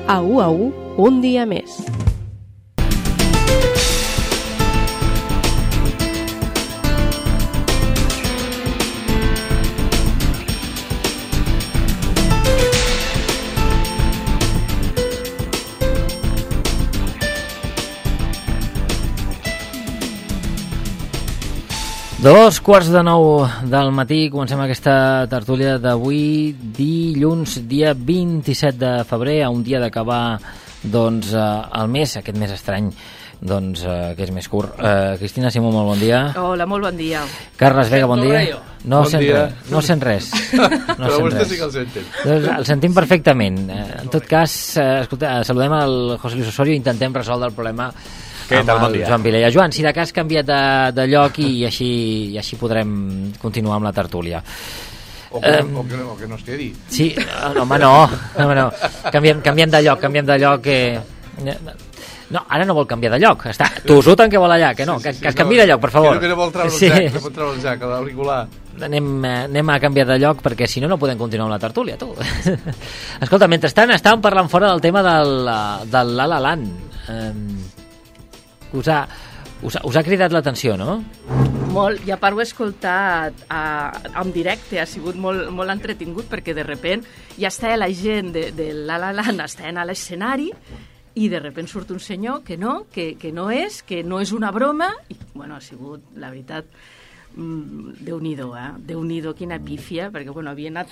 A U, un dia més. Dos quarts de 9 del matí, comencem aquesta tertúlia d'avui, dilluns, dia 27 de febrer, a un dia d'acabar el mes, aquest mes estrany, que és més curt. Cristina Simó, molt bon dia. Hola, molt bon dia. Carles Vega, bon dia. No sent res. Però vostè sí que el senten. El sentim perfectament. En tot cas, escolta, saludem el José Luis Osorio i intentem resoldre el problema amb el Joan Vilella. Joan, si de cas canviat de lloc i així podrem continuar amb la tertúlia. O que no es quedi. Sí, home, no. Canviem de lloc. No, ara no vol canviar de lloc. Està tossut en què vol allà, que no, que es canviï de lloc, per favor. Que no vol treure el jack, l'auricular. Anem a canviar de lloc perquè si no podem continuar amb la tertúlia, tu. Escolta, mentrestant estàvem parlant fora del tema del La La Land. Us ha cridat l'atenció, no? Molt, i a part ho he escoltat en directe, ha sigut molt entretingut perquè de repent ja està la gent de La La Land està a l'escenari i de repent surt un senyor que no és una broma i bueno, ha sigut, la veritat, Déu-n'hi-do, quina pífia, perquè bueno, havia anat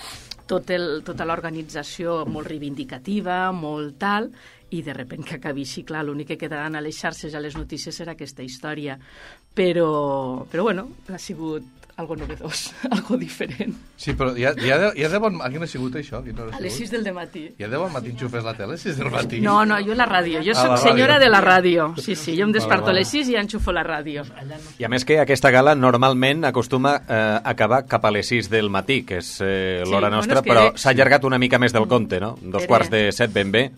tota l'organització molt reivindicativa, molt tal, i de repent que acabi així, clar, l'únic que quedaran a les xarxes i a les notícies era aquesta història. Però bueno, ha sigut algo novedós, algo diferent. Sí, però ja de bon... A quina ha sigut això? A les 6 del matí. Ja de bon matí enxufes la tele, a les 6 del matí? No, jo la ràdio. Jo soc senyora de la ràdio. Sí, jo em desperto a les 6 i ja enxufo la ràdio. I a més que aquesta gala normalment acostuma a acabar cap a les 6 del matí, que és l'hora nostra, però s'ha allargat una mica més del compte, no? 2:45 ben bé.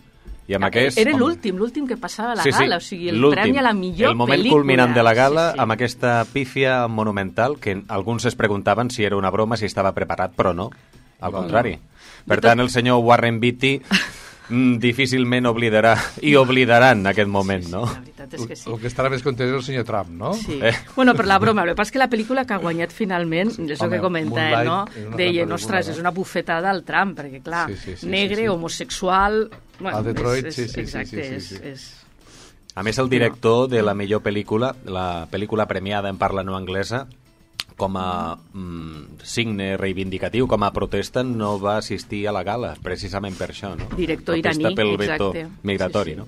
I amb era l'últim que passava a la gala, o sigui, el premi a la millor pel·lícula. El moment culminant de la gala, amb aquesta pífia monumental, que alguns es preguntaven si era una broma, si estava preparat, però no, al contrari. Per tant, el senyor Warren Beatty difícilment oblidaran aquest moment, no? La veritat és que sí. El que estarà més content és el senyor Trump, no? Sí. Bueno, per la broma, el que passa és que la pel·lícula que ha guanyat finalment, és el que comenta, no? Deien, ostres, és una bufetada al Trump, perquè clar, negre, homosexual... A Detroit, sí. Exacte, és... A més, el director de la millor pel·lícula, la pel·lícula premiada en parla no anglesa, com a signe reivindicatiu, com a protesta, no va assistir a la gala, precisament per això, no? Director iraní, pel veto exacte. Migratori, no?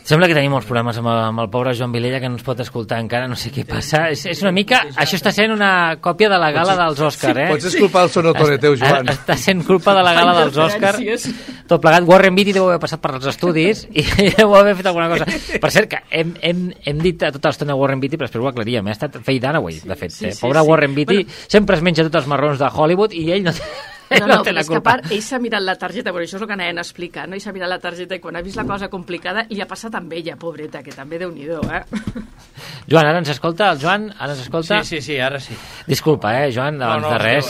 Sembla que tenim molts problemes amb el pobre Joan Vilella, que no ens pot escoltar encara, no sé què passa. És una mica... Això està sent una còpia de la gala dels Òscar, Pots culpar el sonotone teu, Joan. Està sent culpa de la gala dels Òscar. Tot plegat, Warren Beatty deu haver passat per els estudis i deu haver fet alguna cosa. Per cert, que hem dit tota l'estona Warren Beatty, però després ho aclaríem. Ha estat Faye Dunaway, de fet. Pobre Warren Beatty sempre es menja tots els marrons de Hollywood i ell no té... No, és que a part, ell s'ha mirat la targeta, però això és el que anaven a explicar, no? Ell s'ha mirat la targeta i quan ha vist la cosa complicada li ha passat amb ella, pobreta, que també Déu-n'hi-do, Joan, ara ens escolta? El Joan, ara ens escolta? Sí, ara sí. Disculpa, Joan, abans de res.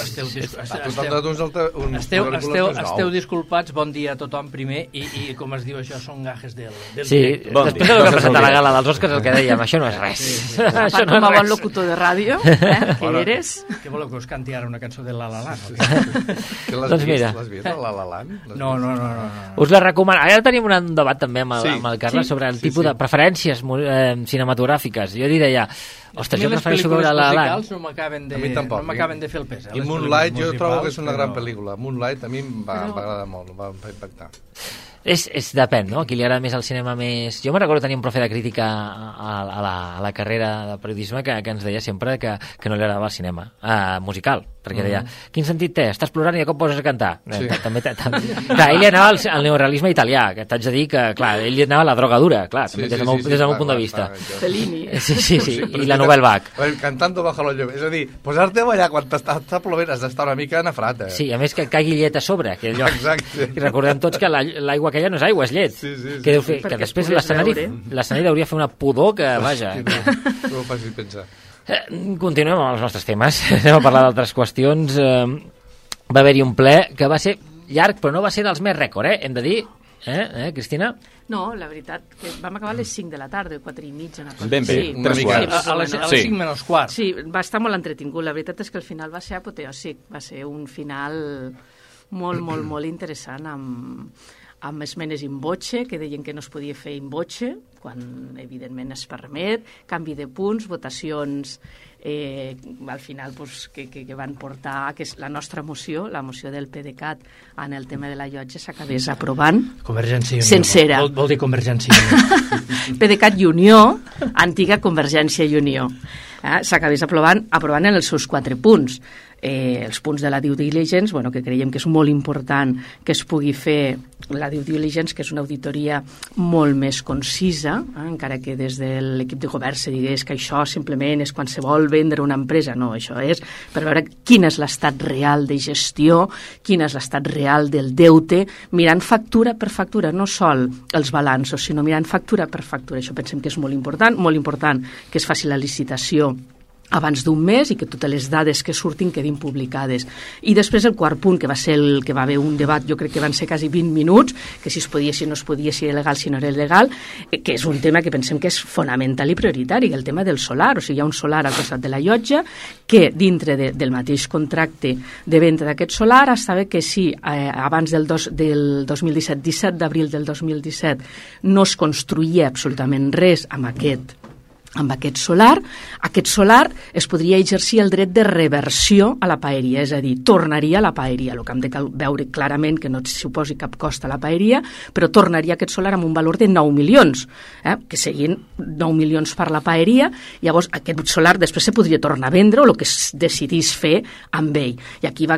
Esteu disculpats, bon dia a tothom primer, i com es diu això, són gajes del sí, després del que ha passat a la gala dels Òscars, el que dèiem, això no és res. Això no és res. Bon locutor de ràdio, que eres. Què voleu que us canti ara una cançó de La La Land? Doncs mira. L'has vist, La La Land? No. Us la recomano. Ara tenim un debat també amb el Carles sobre el tipus de preferències cinematogràfiques. Jo diré ja, ostres, jo prefereixo veure La La Land. No m'acaben de fer el pes. I Moonlight jo trobo que és una gran pel·lícula. Moonlight a mi em va agradar molt, em va impactar. Depèn, no? A qui li agrada més el cinema més... Jo me recordo tenir un profe de crítica a la carrera de periodisme que ens deia sempre que no li agradava el cinema musical, perquè deia, quin sentit té? Estàs plorant i de cop poses a cantar. Sí. Clar, ell li anava al neorealisme italià, que t'haig de dir que, clar, ell li anava a la droga dura, clar, des del meu punt de vista. Fellini. Sí, i la Nouvelle Vague. Cantando bajo la lluvia. És a dir, posar-te a ballar quan t'està plovent has d'estar una mica nafrat, Sí, a més que caigui llet a sobre. Exacte. I recordem tots que l'aigua aquella no és aigua, és llet. Que deu fer, que després l'escenari hauria fer una pudor que, vaja... No ho facis pensar. Continuem amb els nostres temes. Anem a parlar d'altres qüestions. Va haver-hi un ple que va ser llarg, però no va ser dels més rècord, hem de dir. Cristina? No, la veritat, que vam acabar a les 5 de la tarda, 4 i mitja. Ben bé, una 3 mica. quarts. A les 5 menys quart. Sí, va estar molt entretingut. La veritat és que el final va ser apoteòsic. Va ser un final molt interessant, amb esmenes in voce, que deien que no es podia fer in voce, quan evidentment es permet, canvi de punts, votacions al final que van portar que la nostra moció, la moció del PDeCAT en el tema de la llotja s'acabés aprovant Convergència i Unió. Sencera. Vol dir Convergència i Unió. PDeCAT i Unió, antiga Convergència i Unió. S'acabés aprovant en els seus 4 punts. Els punts de la due diligence, que creiem que és molt important que es pugui fer la due diligence, que és una auditoria molt més concisa, encara que des de l'equip de govern se digués que això simplement és quan se vol vendre una empresa. No, això és per veure quin és l'estat real de gestió, quin és l'estat real del deute, mirant factura per factura, no sol els balanços, sinó mirant factura per factura. Això pensem que és molt important que es faci la licitació abans d'un mes i que totes les dades que surtin quedin publicades. I després el quart punt, que va ser el que va haver un debat, jo crec que van ser quasi 20 minuts, que si es podia, si no es podia, si era legal, si no era legal, que és un tema que pensem que és fonamental i prioritari, el tema del solar. O sigui, hi ha un solar al costat de la llotja que dintre del mateix contracte de venda d'aquest solar estava que si abans del 2017, 17 d'abril del 2017, no es construïa absolutament res amb aquest solar es podria exercir el dret de reversió a la paeria, és a dir, tornaria a la paeria. El que hem de veure clarament que no suposi cap cost a la paeria, però tornaria aquest solar amb un valor de 9 milions, que serien 9 milions per la paeria. Llavors aquest solar després se podria tornar a vendre o el que es decidís fer amb ell. I aquí va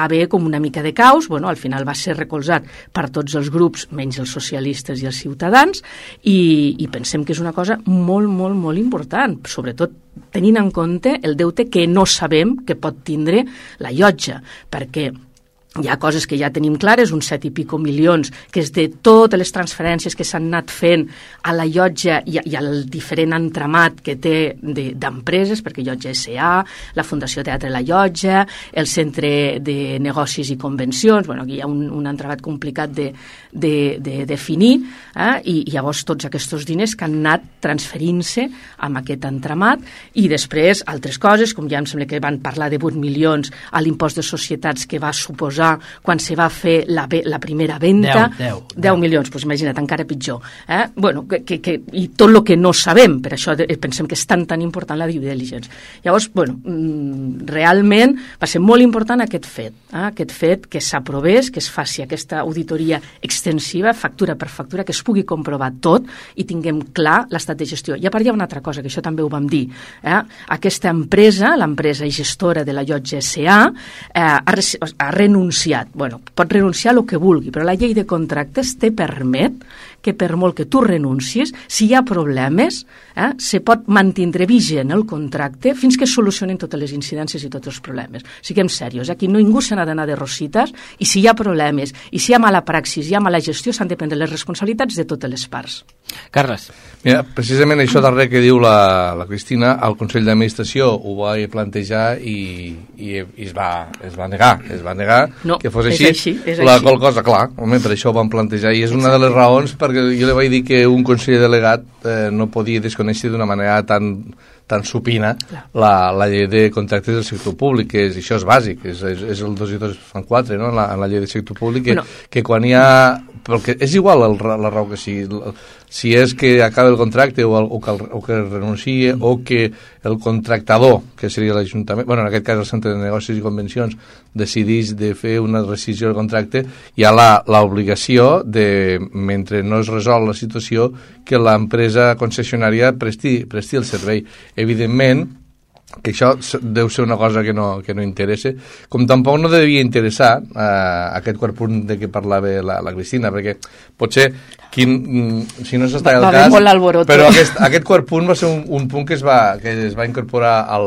haver com una mica de caos, al final va ser recolzat per tots els grups, menys els socialistes i els ciutadans, i pensem que és una cosa molt important, sobretot tenint en compte el deute que no sabem que pot tindre la llotja, perquè hi ha coses que ja tenim clares, uns 7 i pico milions, que és de totes les transferències que s'han anat fent a la llotja i al diferent entramat que té d'empreses, perquè Llotja S.A., la Fundació Teatre La Llotja, el Centre de Negocis i Convencions, aquí hi ha un entramat complicat de definir, i llavors tots aquests diners que han anat transferint-se amb aquest entramat, i després altres coses, com ja em sembla que van parlar de 8 milions a l'impost de societats que va suposar quan se va fer la primera venda, 10 milions, doncs imagina't, encara pitjor. I tot el que no sabem, per això pensem que és tan important la due diligence. Llavors, realment va ser molt important aquest fet que s'aprovés, que es faci aquesta auditoria extensiva, factura per factura, que es pugui comprovar tot i tinguem clar l'estat de gestió. I a part hi ha una altra cosa, que això també ho vam dir. Aquesta empresa, l'empresa gestora de la Llotja S.A., ha renunciat. Pot renunciar a el que vulgui, però la llei de contractes te permet que per molt que tu renuncis, si hi ha problemes, se pot mantindre vigent el contracte fins que es solucionin totes les incidències i tots els problemes. Siguem serios, aquí ningú se n'ha d'anar de rosites, i si hi ha problemes, i si hi ha mala praxis, hi ha mala gestió, s'han de prendre les responsabilitats de totes les parts. Carles. Mira, precisament això darrer que diu la Cristina, el Consell d'Administració ho va plantejar i es va negar no, que fos així. És la qual cosa, clar, per això ho van plantejar, i és una de les raons perquè jo li vaig dir que un conseller delegat no podia desconèixer d'una manera tan supina la llei de contractes del sector públic, que això és bàsic, és el 2 i 2 fan 4, no? En la llei del sector públic, que quan hi ha... Perquè és igual la raó que sigui, si és que acaba el contracte o que renuncia o que el contractador, que seria l'Ajuntament, en aquest cas el Centre de Negocis i Convencions, decideix de fer una rescissió del contracte, hi ha l'obligació de, mentre no es resol la situació, que l'empresa concessionària presti el servei. Evidentment, que això deu ser una cosa que no interessa, com tampoc no devia interessar aquest quart punt de què parlava la Cristina, perquè potser si no s'està el cas, però aquest quart punt va ser un punt que es va incorporar a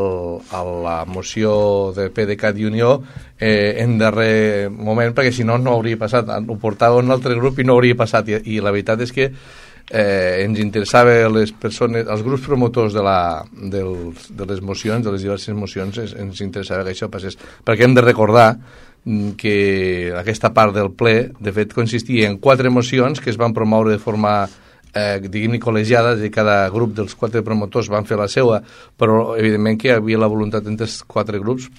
la moció de PDeCAT i Unió en darrer moment, perquè si no hauria passat, ho portava un altre grup i no hauria passat, i la veritat és que ens interessava les persones, els grups promotors de les mocions, de les diverses mocions, ens interessava que això passés, perquè hem de recordar que aquesta part del ple, de fet, consistia en 4 mocions que es van promoure de forma diguem-ne col·legiada, és a dir, cada grup dels 4 promotors van fer la seva, però evidentment que hi havia la voluntat entre els 4 grups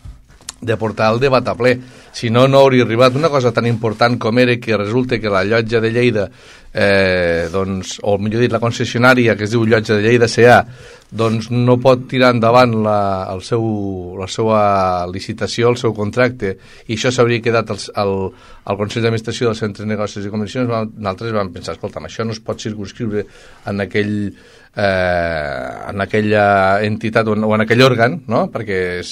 de portar el debat a ple. Si no, no hauria arribat una cosa tan important com era que resulta que la llotja de Lleida, doncs, o millor dit, la concessionària que es diu Llotja de Lleida S.A., doncs no pot tirar endavant la seva licitació, el seu contracte, i això s'hauria quedat al Consell d'Administració del Centre de Negocis i Convencions. Nosaltres vam pensar, escolta'm, això no es pot circunscriure en aquella entitat o en aquell òrgan, no? Perquè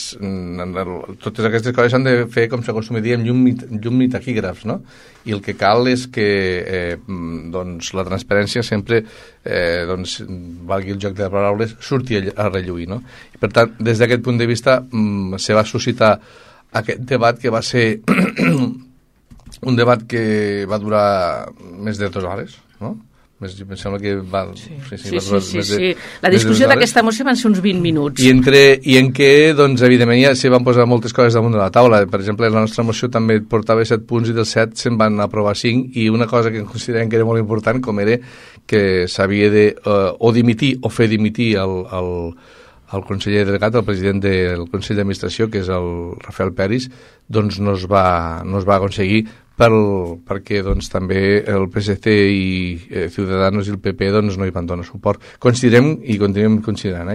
totes aquestes coses s'han de fer, com s'acostuma a dir, amb llum i taquígrafs, no? I el que cal és que doncs, la transparència sempre, doncs, valgui el joc de paraules, surti a relluir, no? I per tant, des d'aquest punt de vista se va suscitar aquest debat que va ser un debat que va durar més de 2 hores, no? Em sembla que va... Sí. La discussió d'aquesta moció van ser uns 20 minuts. I en què, doncs, evidentment, ja s'hi van posar moltes coses damunt de la taula. Per exemple, la nostra moció també portava 7 punts i dels 7 se'n van aprovar 5, i una cosa que considerem que era molt important, com era que s'havia de o dimitir o fer dimitir el conseller delegat, el president del Consell d'Administració, que és el Rafael Peris, doncs no es va aconseguir perquè doncs, també el PSC i Ciudadanos i el PP doncs, no hi van donar suport. Considerem, i continuem considerant,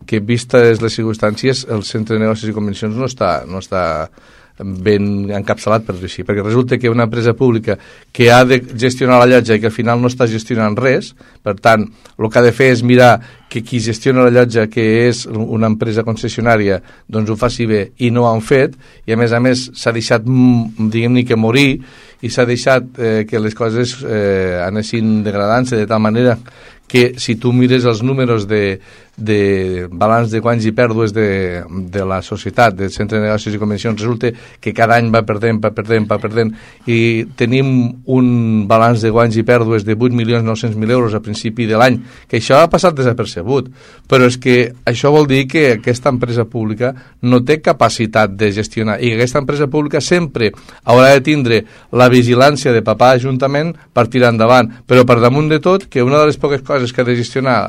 que vistes les circumstàncies, el Centre de Negocis i Convencions no està ben encapçalat, per dir-ho així, perquè resulta que una empresa pública que ha de gestionar la llotja i que al final no està gestionant res, per tant, el que ha de fer és mirar que qui gestiona la llotja, que és una empresa concessionària, doncs ho faci bé, i no ho han fet, i a més s'ha deixat, diguem-ne, que morir, i s'ha deixat que les coses anessin degradant-se de tal manera que si tu mires els números de balanç de guanys i pèrdues de la societat, del Centre de Negocis i Convencions, resulta que cada any va perdent, i tenim un balanç de guanys i pèrdues de 8.900.000 euros a principi de l'any, que això ha passat desapercebut, però és que això vol dir que aquesta empresa pública no té capacitat de gestionar, i que aquesta empresa pública sempre haurà de tindre la vigilància de papà ajuntament per tirar endavant, però per damunt de tot, que una de les poques coses que ha de gestionar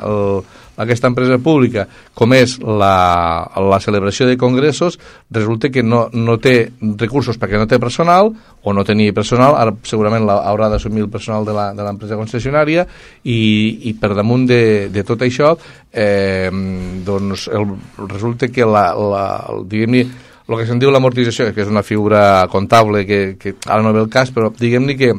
aquesta empresa pública, com és la celebració de congressos, resulta que no té recursos perquè no té personal, o no tenia personal, ara segurament haurà d'assumir el personal de l'empresa concessionària, i per damunt de tot això, doncs resulta que diguem-ne, el que se'n diu l'amortització, que és una figura comptable que ara no ve el cas, però diguem-ne que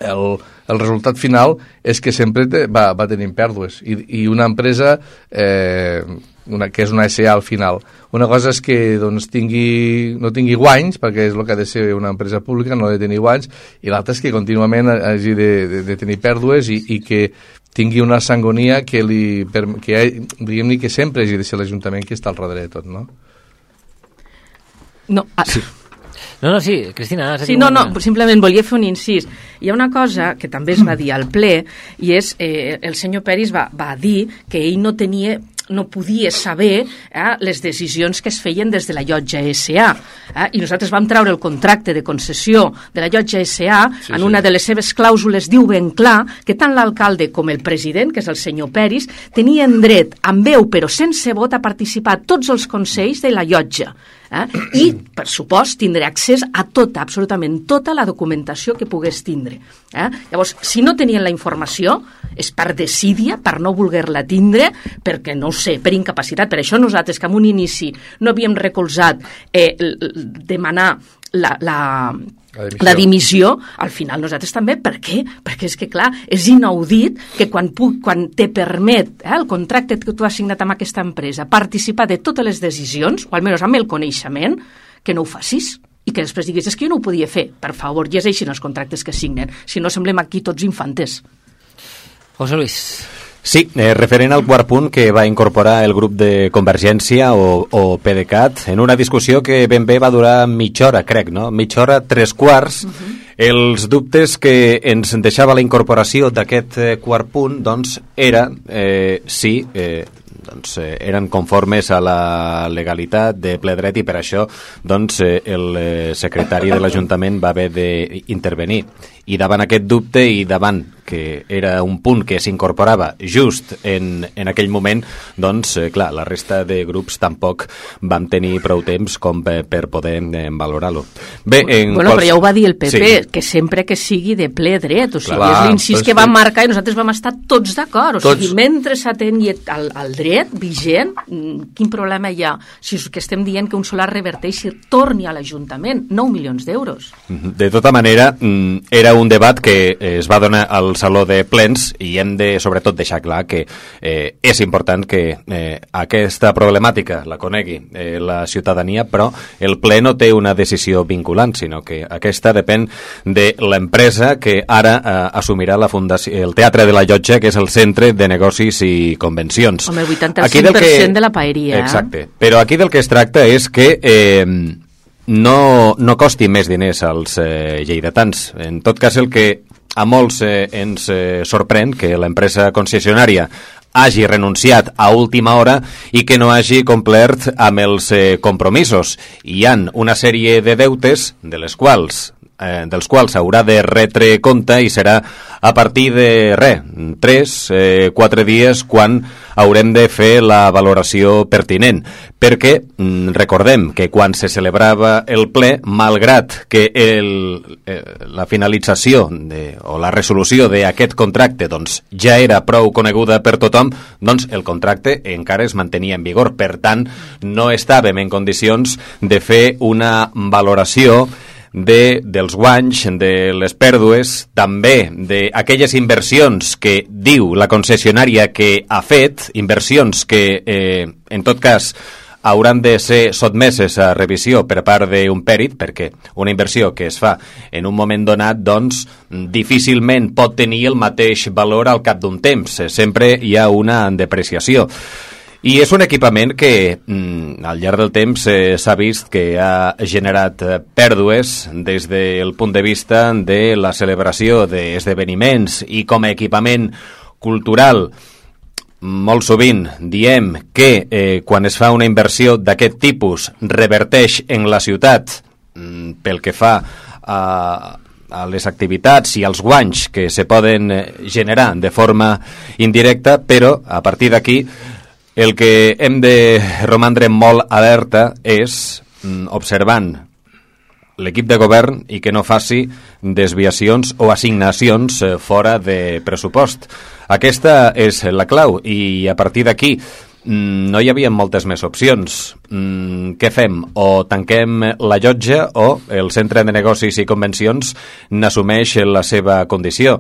el resultat final és que sempre va tenint pèrdues, i una empresa que és una SA al final, una cosa és que doncs, no tingui guanys, perquè és el que ha de ser una empresa pública, no ha de tenir guanys, i l'altra és que contínuament hagi de tenir pèrdues, i que tingui una sangonia que diguem-ne que sempre hagi de ser l'Ajuntament que està al darrere de tot, no? No, sí. No, sí, Cristina... Sí, no, simplement volia fer un incís. Hi ha una cosa que també es va dir al ple, i és, el senyor Peris va dir que ell no podia saber les decisions que es feien des de la Llotja S.A. I nosaltres vam treure el contracte de concessió de la Llotja S.A. En una de les seves clàusules diu ben clar que tant l'alcalde com el president, que és el senyor Peris, tenien dret, amb veu però sense vot, a participar a tots els consells de la llotja. I, per supost, tindré accés a tota, absolutament tota la documentació que pogués tindre. Llavors, si no tenien la informació, és per desídia, per no voler-la tindre, perquè, no ho sé, per incapacitat. Per això nosaltres, que en un inici no havíem recolzat demanar la dimissió, al final nosaltres també. Per què? Perquè és que, clar, és inaudit que quan te permet el contracte que tu has signat amb aquesta empresa participar de totes les decisions, o almenys amb el coneixement, que no ho facis, i que després diguis, és que jo no ho podia fer. Per favor, llegeixin els contractes que signen, si no semblem aquí tots infantes. José Luis. Sí, referent al quart punt que va incorporar el grup de Convergència o PDeCAT en una discussió que ben bé va durar mitja hora, crec, no? Mitja hora, 3/4. Els dubtes que ens deixava la incorporació d'aquest quart punt, doncs, era si doncs, eren conformes a la legalitat de ple dret i per això doncs, el secretari de l'Ajuntament va haver d'intervenir. I davant aquest dubte i davant que era un punt que s'incorporava just en aquell moment, doncs, clar, la resta de grups tampoc vam tenir prou temps com per poder valorar-lo. Bé, però ja ho va dir el PP, que sempre que sigui de ple dret, o sigui, és l'incís que van marcar i nosaltres vam estar tots d'acord, o sigui, mentre s'atengui al dret vigent, quin problema hi ha? Si és que estem dient que un solar reverteixi, torni a l'Ajuntament, 9 milions d'euros. De tota manera, era un debat que es va donar al Saló de Plens i hem de, sobretot, deixar clar que és important que aquesta problemàtica la conegui la ciutadania, però el ple no té una decisió vinculant, sinó que aquesta depèn de l'empresa que ara assumirà la fundació, el Teatre de la Llotja, que és el Centre de Negocis i Convencions. Home, el 85% de la paeria. Exacte. Però aquí del que es tracta és que no costi més diners als lleidatans. En tot cas, el que a molts ens sorprèn que l'empresa concessionària hagi renunciat a última hora i que no hagi complert amb els compromisos. Hi han una sèrie de deutes dels quals s'haurà de retre compte i serà a partir de 3-4 dies quan haurem de fer la valoració pertinent, perquè recordem que quan se celebrava el ple, malgrat que la finalització o la resolució d'aquest contracte doncs, ja era prou coneguda per tothom, doncs el contracte encara es mantenia en vigor. Per tant, no estàvem en condicions de fer una valoració dels guanys, de les pèrdues, també d'aquelles inversions que diu la concessionària que ha fet, inversions que en tot cas hauran de ser sotmeses a revisió per part d'un pèrit, perquè una inversió que es fa en un moment donat, doncs, difícilment pot tenir el mateix valor al cap d'un temps. Sempre hi ha una depreciació. I és un equipament que al llarg del temps s'ha vist que ha generat pèrdues des del punt de vista de la celebració d'esdeveniments i com a equipament cultural. Molt sovint diem que quan es fa una inversió d'aquest tipus reverteix en la ciutat pel que fa a les activitats i als guanys que se poden generar de forma indirecta, però a partir d'aquí el que hem de romandre molt alerta és observant l'equip de govern i que no faci desviacions o assignacions fora de pressupost. Aquesta és la clau i a partir d'aquí no hi havia moltes més opcions. Què fem? O tanquem la llotja o el Centre de Negocis i Convencions n'assumeix la seva condició.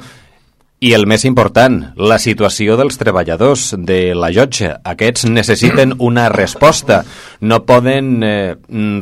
I el més important, la situació dels treballadors de la llotja. Aquests necessiten una resposta. No poden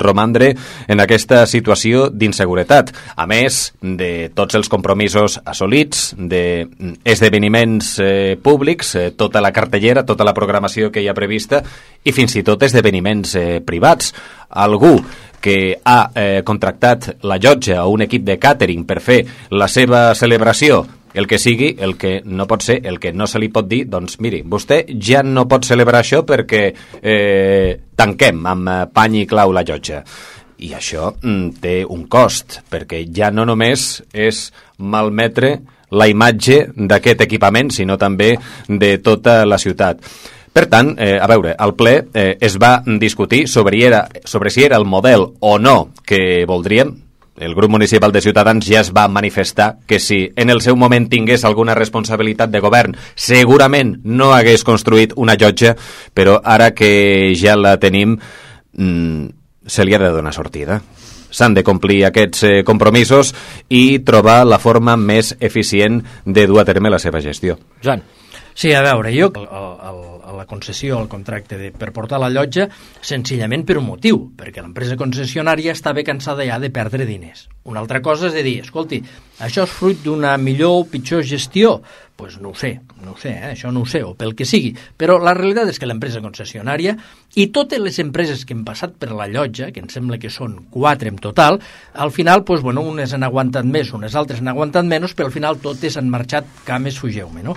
romandre en aquesta situació d'inseguretat. A més de tots els compromisos assolits, d'esdeveniments públics, tota la cartellera, tota la programació que hi ha prevista i fins i tot esdeveniments privats. Algú que ha contractat la llotja o un equip de càtering per fer la seva celebració, el que sigui, el que no pot ser, el que no se li pot dir, doncs miri, vostè ja no pot celebrar això perquè tanquem amb pany i clau la llotja. I això té un cost, perquè ja no només és malmetre la imatge d'aquest equipament, sinó també de tota la ciutat. Per tant, a veure, al ple es va discutir sobre si era el model o no que voldríem. El grup municipal de Ciutadans ja es va manifestar que si en el seu moment tingués alguna responsabilitat de govern, segurament no hagués construït una llotja, però ara que ja la tenim, se li ha de donar sortida. S'han de complir aquests compromisos i trobar la forma més eficient de dur a terme la seva gestió. Joan. Sí, a veure, jo la concessió, el contracte per portar la llotja, senzillament per un motiu, perquè l'empresa concessionària estava cansada ja de perdre diners. Una altra cosa és de dir, escolti, això és fruit d'una millor o pitjor gestió? Doncs no ho sé, això no ho sé, o pel que sigui, però la realitat és que l'empresa concessionària i totes les empreses que han passat per la llotja, que em sembla que són 4 en total, al final, doncs, bueno, unes han aguantat més, unes altres han aguantat menys, però al final totes han marxat cames fugeu-me, no?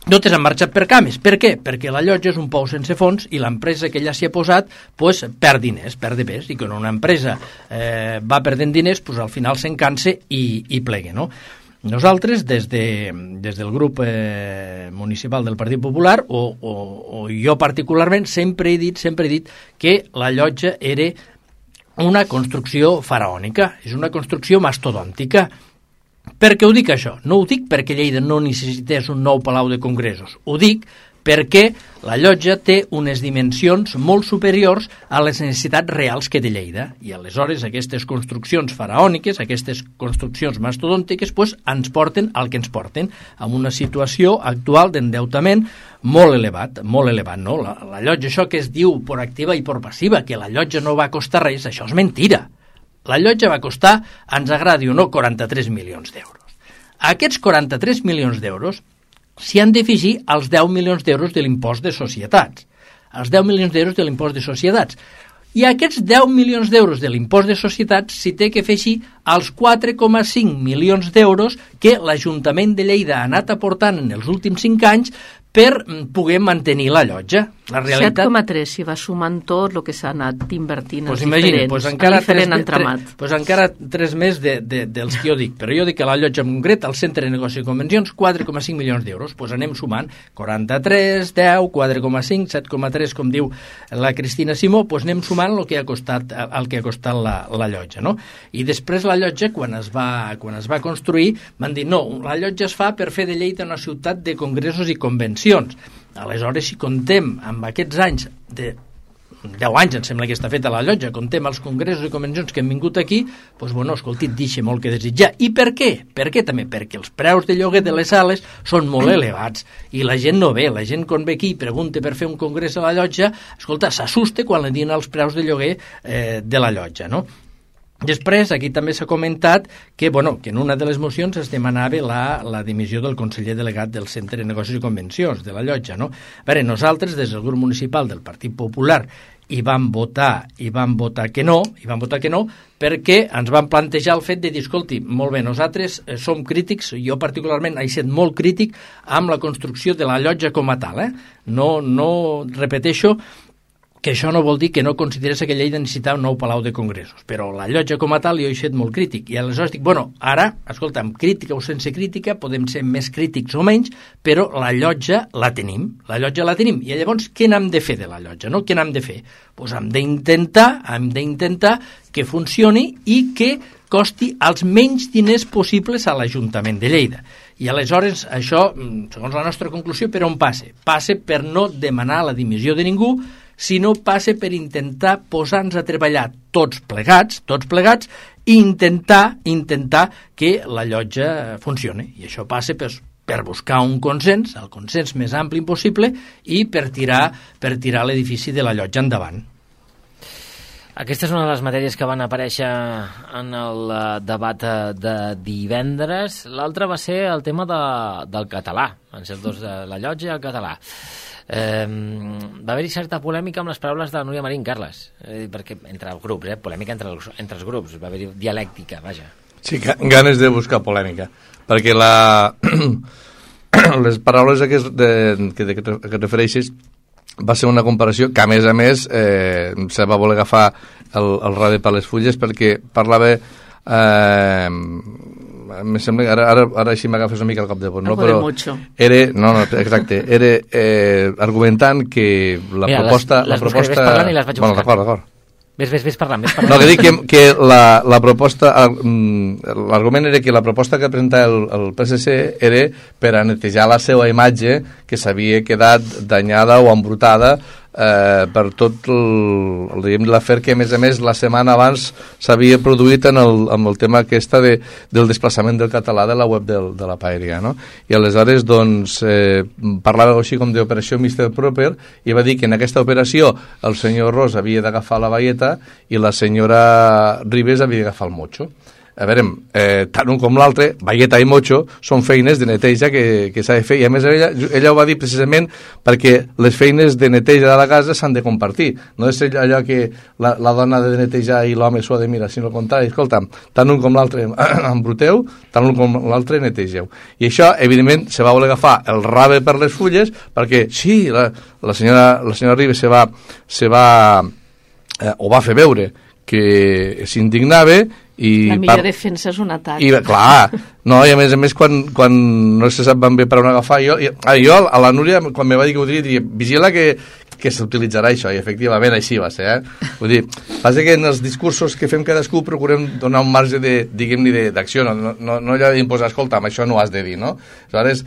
totes han marxat per cames. Per què? Perquè la llotja és un pou sense fons i l'empresa que ella s'hi ha posat perd diners, perd de pes, i quan una empresa va perdent diners, al final s'encansa i plega, no? Nosaltres, des del grup municipal del Partit Popular, o jo particularment, sempre he dit que la llotja era una construcció faraònica, és una construcció mastodòntica. Per què ho dic això? No ho dic perquè Lleida no necessités un nou palau de congressos, ho dic perquè la llotja té unes dimensions molt superiors a les necessitats reals que té Lleida. I aleshores aquestes construccions faraòniques, aquestes construccions mastodòntiques, ens porten al que ens porten, amb una situació actual d'endeutament molt elevat, no? La llotja, això que es diu per activa i per passiva, que la llotja no va costar res, això és mentira. La llotja va costar, ens agradi o no, 43 milions d'euros. Aquests 43 milions d'euros s'hi han d'afegir als 10 milions d'euros de l'impost de societats. Els 10 milions d'euros de l'impost de societats. I aquests 10 milions d'euros de l'impost de societats s'hi té que afegir als 4,5 milions d'euros que l'Ajuntament de Lleida ha anat aportant en els últims 5 anys per poder mantenir la llotja. La realitat... 7,3 si va sumant tot el que s'ha anat invertint pues en diferent entramat. Pues encara 3 més dels que jo dic. Però jo dic que la llotja en concret, al Centre de Negoci i Convencions, 4,5 milions d'euros. Pues anem sumant 43, 10, 4,5, 7,3, com diu la Cristina Simó, pues anem sumant el que ha costat la llotja, no? I després la llotja, quan es va construir, van dir, no, la llotja es fa per fer de Lleida una ciutat de congressos i convencions. Aleshores, si contem amb aquests anys de 10 anys, em sembla que està feta la llotja, contem els congressos i convencions que han vingut aquí, doncs, bueno, escolti, deixa molt que desitjar. I per què? Per què també? Perquè els preus de lloguer de les sales són molt elevats i la gent no ve. La gent quan ve aquí i pregunta per fer un congrés a la llotja, escolta, s'assusta quan li diuen els preus de lloguer de la llotja, no? Després, aquí també s'ha comentat que en una de les mocions es demanava la dimissió del conseller delegat del Centre de Negocis i Convencions, de la llotja, no? A veure, nosaltres, des del grup municipal del Partit Popular, hi vam votar que no, perquè ens van plantejar el fet de dir, escolti, molt bé, nosaltres som crítics, jo particularment he estat molt crític amb la construcció de la llotja com a tal, No repeteixo que això no vol dir que no consideres que Lleida necessitava un nou palau de congressos, però la llotja com a tal jo he estat molt crític, i aleshores dic, ara, escolta, amb crítica o sense crítica, podem ser més crítics o menys, però la llotja la tenim, i llavors què n'hem de fer de la llotja, no? Què n'hem de fer? Doncs hem d'intentar que funcioni i que costi els menys diners possibles a l'Ajuntament de Lleida. I aleshores això, segons la nostra conclusió, per on passa? Passa per no demanar la dimissió de ningú, sinó passa per intentar posar-nos a treballar tots plegats i intentar que la llotja funcioni. I això passa per buscar un consens, el consens més ampli possible, i per tirar l'edifici de la llotja endavant. Aquesta és una de les matèries que van aparèixer en el debat de divendres. L'altra va ser el tema del català, en certs dos, de la llotja i el català. Va haver-hi certa polèmica amb les paraules de Núria Marín, Carles, perquè entre els grups, polèmica entre els grups, va haver-hi dialèctica, vaja. Sí, ganes de buscar polèmica, perquè les paraules que et refereixes va ser una comparació que, a més, se va voler agafar el rave per les fulles, perquè parlava... em sembla que ara així m'agafes una mica el cop de vot, no? Però era argumentant que la proposta... Les buscaré parlant i les vaig buscar. Bueno, d'acord. Ves parlant. No, que dic que la proposta... L'argument era que la proposta que presentava el PSC era per a netejar la seva imatge, que s'havia quedat danyada o embrutada per tot l'afer que, a més, la setmana abans s'havia produït amb el tema del desplaçament del català de la web de la Paeria, no? I aleshores, doncs, parlava així com d'operació Mr. Proper, i va dir que en aquesta operació el senyor Ros havia d'agafar la baieta i la senyora Ribes havia d'agafar el motxo. a veure, tant un com l'altre, bagueta i mocho, són feines de neteja que s'ha de fer, i a més ella ho va dir precisament perquè les feines de neteja de la casa s'han de compartir, no és allò que la dona ha de netejar i l'home s'ho ha de mirar, sinó al contrari, escolta, tant un com l'altre embruteu, tant un com l'altre netegeu. I això, evidentment, se va voler agafar el rave per les fulles, perquè sí, la senyora Ribes ho va fer veure que s'indignava i la millor defensa és un atac. Clar, no, i a més quan no se sap ben bé per on agafar, jo a la Núria, quan me va dir que ho diria, vigila que s'utilitzarà això, i efectivament així va ser, Vull dir, passa que en els discursos que fem cadascú procurem donar un marge de, diguem-ne, d'acció, no allò d'imposar, escolta, amb això no ho has de dir, no? Aleshores,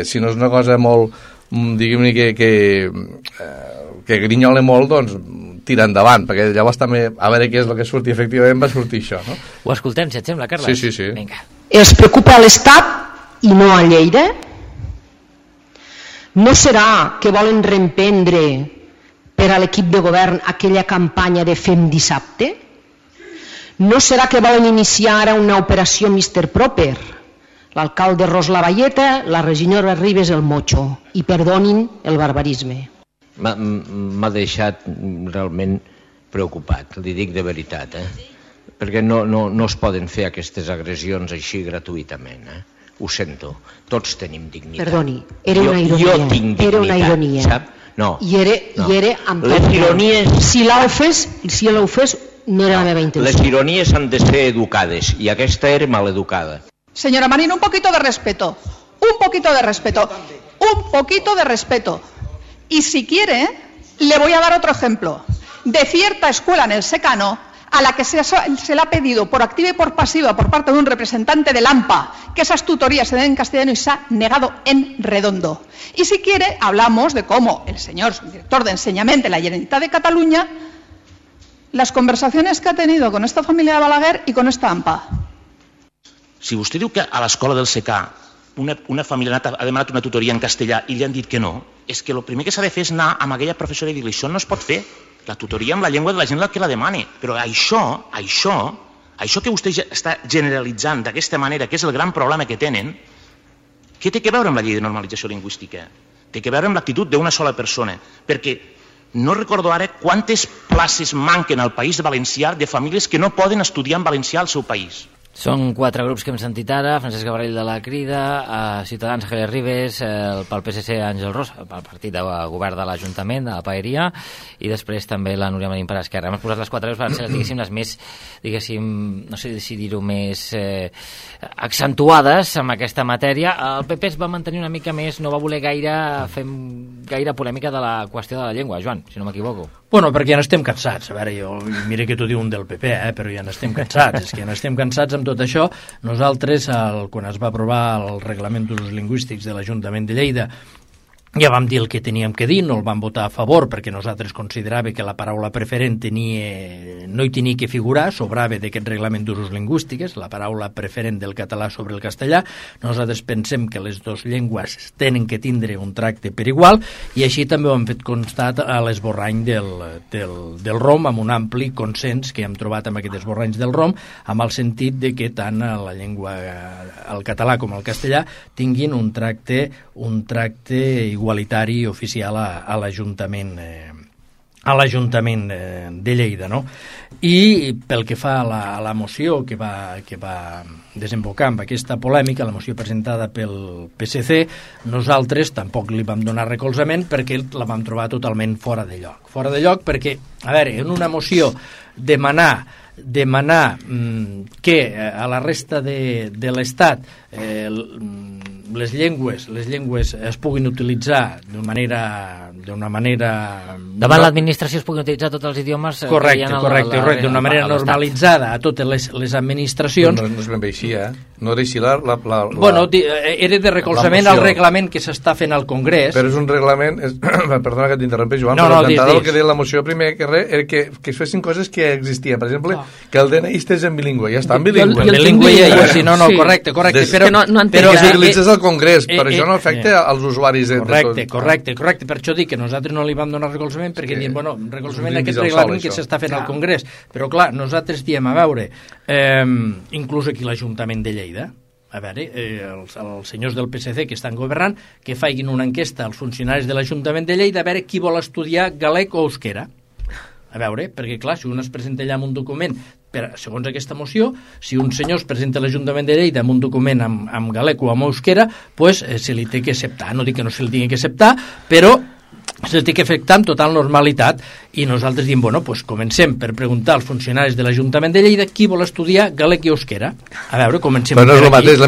si no és una cosa molt, diguem-ne, que grinyola molt, doncs tira endavant, perquè llavors també a veure què és el que surti, efectivament va sortir això, no? Ho escoltem, si et sembla, Carles? Sí. Vinga. Els preocupa a l'Estat i no a Lleida? No serà que volen reemprendre per a l'equip de govern aquella campanya de Fem dissabte? No serà que volen iniciar ara una operació Mr. Proper? L'alcalde Ros la Valleta, la regidora Ribes el Mocho, i perdonin el barbarisme. M'ha deixat realment preocupat, li dic de veritat, perquè no es poden fer aquestes agressions així gratuïtament, ho sento, tots tenim dignitat. Perdoni, era una ironia. Jo tinc dignitat, era una ironia. sap? No. I era amb les ironies... Si l'ha ofès, no era la meva intenció. Les ironies han de ser educades, i aquesta era maleducada. Señora Marín, un poquito de respeto. Un poquito de respeto. Un poquito de respeto. Y si quiere, le voy a dar otro ejemplo de cierta escuela en el secano a la que se le ha pedido por activa y por pasiva por parte de un representante del AMPA que esas tutorías se den en castellano y se ha negado en redondo. Y si quiere, hablamos de cómo el señor director de enseñamiento de la Generalitat de Cataluña, las conversaciones que ha tenido con esta familia de Balaguer y con esta AMPA. Si vostè diu que a l'escola del SECA una família ha demanat una tutoria en castellà i li han dit que no, és que el primer que s'ha de fer és anar amb aquella professora i dir-li això no es pot fer, la tutoria amb la llengua de la gent que la demani. Però això que vostè està generalitzant d'aquesta manera, que és el gran problema que tenen, què té que veure amb la llei de normalització lingüística? Té que veure amb l'actitud d'una sola persona, perquè no recordo ara quantes places manquen al País Valencià de famílies que no poden estudiar en valencià al seu país. Són 4 grups que hem sentit ara: Francesc Gavarell de la Crida, Ciutadans Javier Ribes, pel PSC Àngel Ros, pel partit de govern de l'Ajuntament, de la Paeria, i després també la Núria Marín per Esquerra. Hem posat les 4 veus per ser, diguéssim, les més, diguéssim, no sé si dir-ho, més accentuades en aquesta matèria. El PP es va mantenir una mica més, no va voler fer gaire polèmica de la qüestió de la llengua, Joan, si no m'equivoco. Bueno, perquè ja n'estem cansats. A veure, mira que t'ho diu un del PP, però ja n'estem cansats. És que ja n'estem cansats amb tot això. Nosaltres, quan es va aprovar el Reglament d'Usos Lingüístics de l'Ajuntament de Lleida, ja vam dir el que teníem que dir, no el vam votar a favor perquè nosaltres consideràvem que la paraula preferent no hi tenia que figurar, sobrava d'aquest reglament d'usos lingüístics, la paraula preferent del català sobre el castellà. Nosaltres pensem que les dues llengües tenen que tindre un tracte per igual, i així també ho hem fet constat a l'esborrany del ROM, amb un ampli consens que hem trobat amb aquests esborranys del ROM, amb el sentit de que tant la llengua, el català com el castellà, tinguin un tracte igualitari oficial a l'Ajuntament de Lleida, no? I pel que fa a la moció que va desembocar amb aquesta polèmica, la moció presentada pel PSC, nosaltres tampoc li vam donar recolzament perquè la vam trobar totalment fora de lloc. Fora de lloc perquè, a veure, en una moció demanar que a la resta de l'Estat les llengües es puguin utilitzar d'una manera... Davant l'administració es puguin utilitzar tots els idiomes... Correcte, d'una manera normalitzada a totes les administracions... No és ben bé així, No era així la... Bueno, era de recolzament al reglament que s'està fent al Congrés... Però és un reglament... Perdona que t'interrompi, Joan, però el que deia la moció primer era que es fessin coses que existien. Per exemple, que el DNI estés en bilingüe. Ja està en bilingüe. En bilingüe ja, sí, no, correcte. Però que utilitzes al Congrés, però això no afecta als usuaris de tot. Correcte. Per això dic que nosaltres no li vam donar recolzament perquè diem, bueno, recolzament a brindis aquest al reglament sol, que això. s'està fent al Congrés. Però clar, nosaltres diem, a veure, inclús aquí l'Ajuntament de Lleida, a veure, els senyors del PSC que estan governant, que facin una enquesta als funcionaris de l'Ajuntament de Lleida a veure qui vol estudiar galec o euskera. A veure, perquè clar, si un es presenta allà amb un document, segons aquesta moció, si un senyor es presenta a l'Ajuntament de Lleida amb un document amb galec o amb euskera, pues se li té que acceptar. No dic que no se li tingui que acceptar, però se li té que afectar amb total normalitat. I nosaltres diem, bueno, pues comencem per preguntar als funcionaris de l'Ajuntament de Lleida qui vol estudiar galec i euskera. A veure, comencem-ho per aquí. Però no és el mateix, no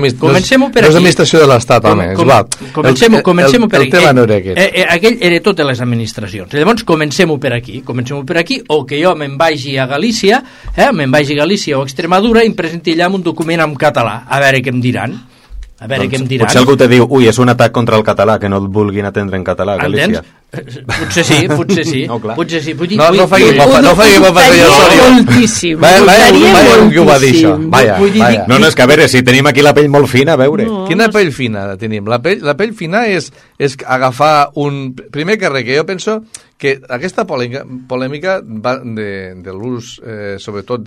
és l'administració de l'Estat, home, és igual. Comencem-ho per aquí. El tema no era aquest. Aquell era totes les administracions. Llavors, comencem-ho per aquí, o que jo me'n vagi a Galícia, o a Extremadura, i em presenti allà amb un document en català, a veure què em diran. A veure què em diran. Potser algú te diu, ui, és un atac contra el català, que no et vulguin atendre en català a Galícia. Potser sí. No, potser sí. No faci mofa, senyor Sorio. Moltíssim. Vaya, que ho va dir això. Vaya. No, és que a veure, si tenim aquí la pell molt fina, a veure. Quina pell fina tenim? La pell fina és agafar un... Primer que res, que jo penso que aquesta polèmica va de l'ús, sobretot,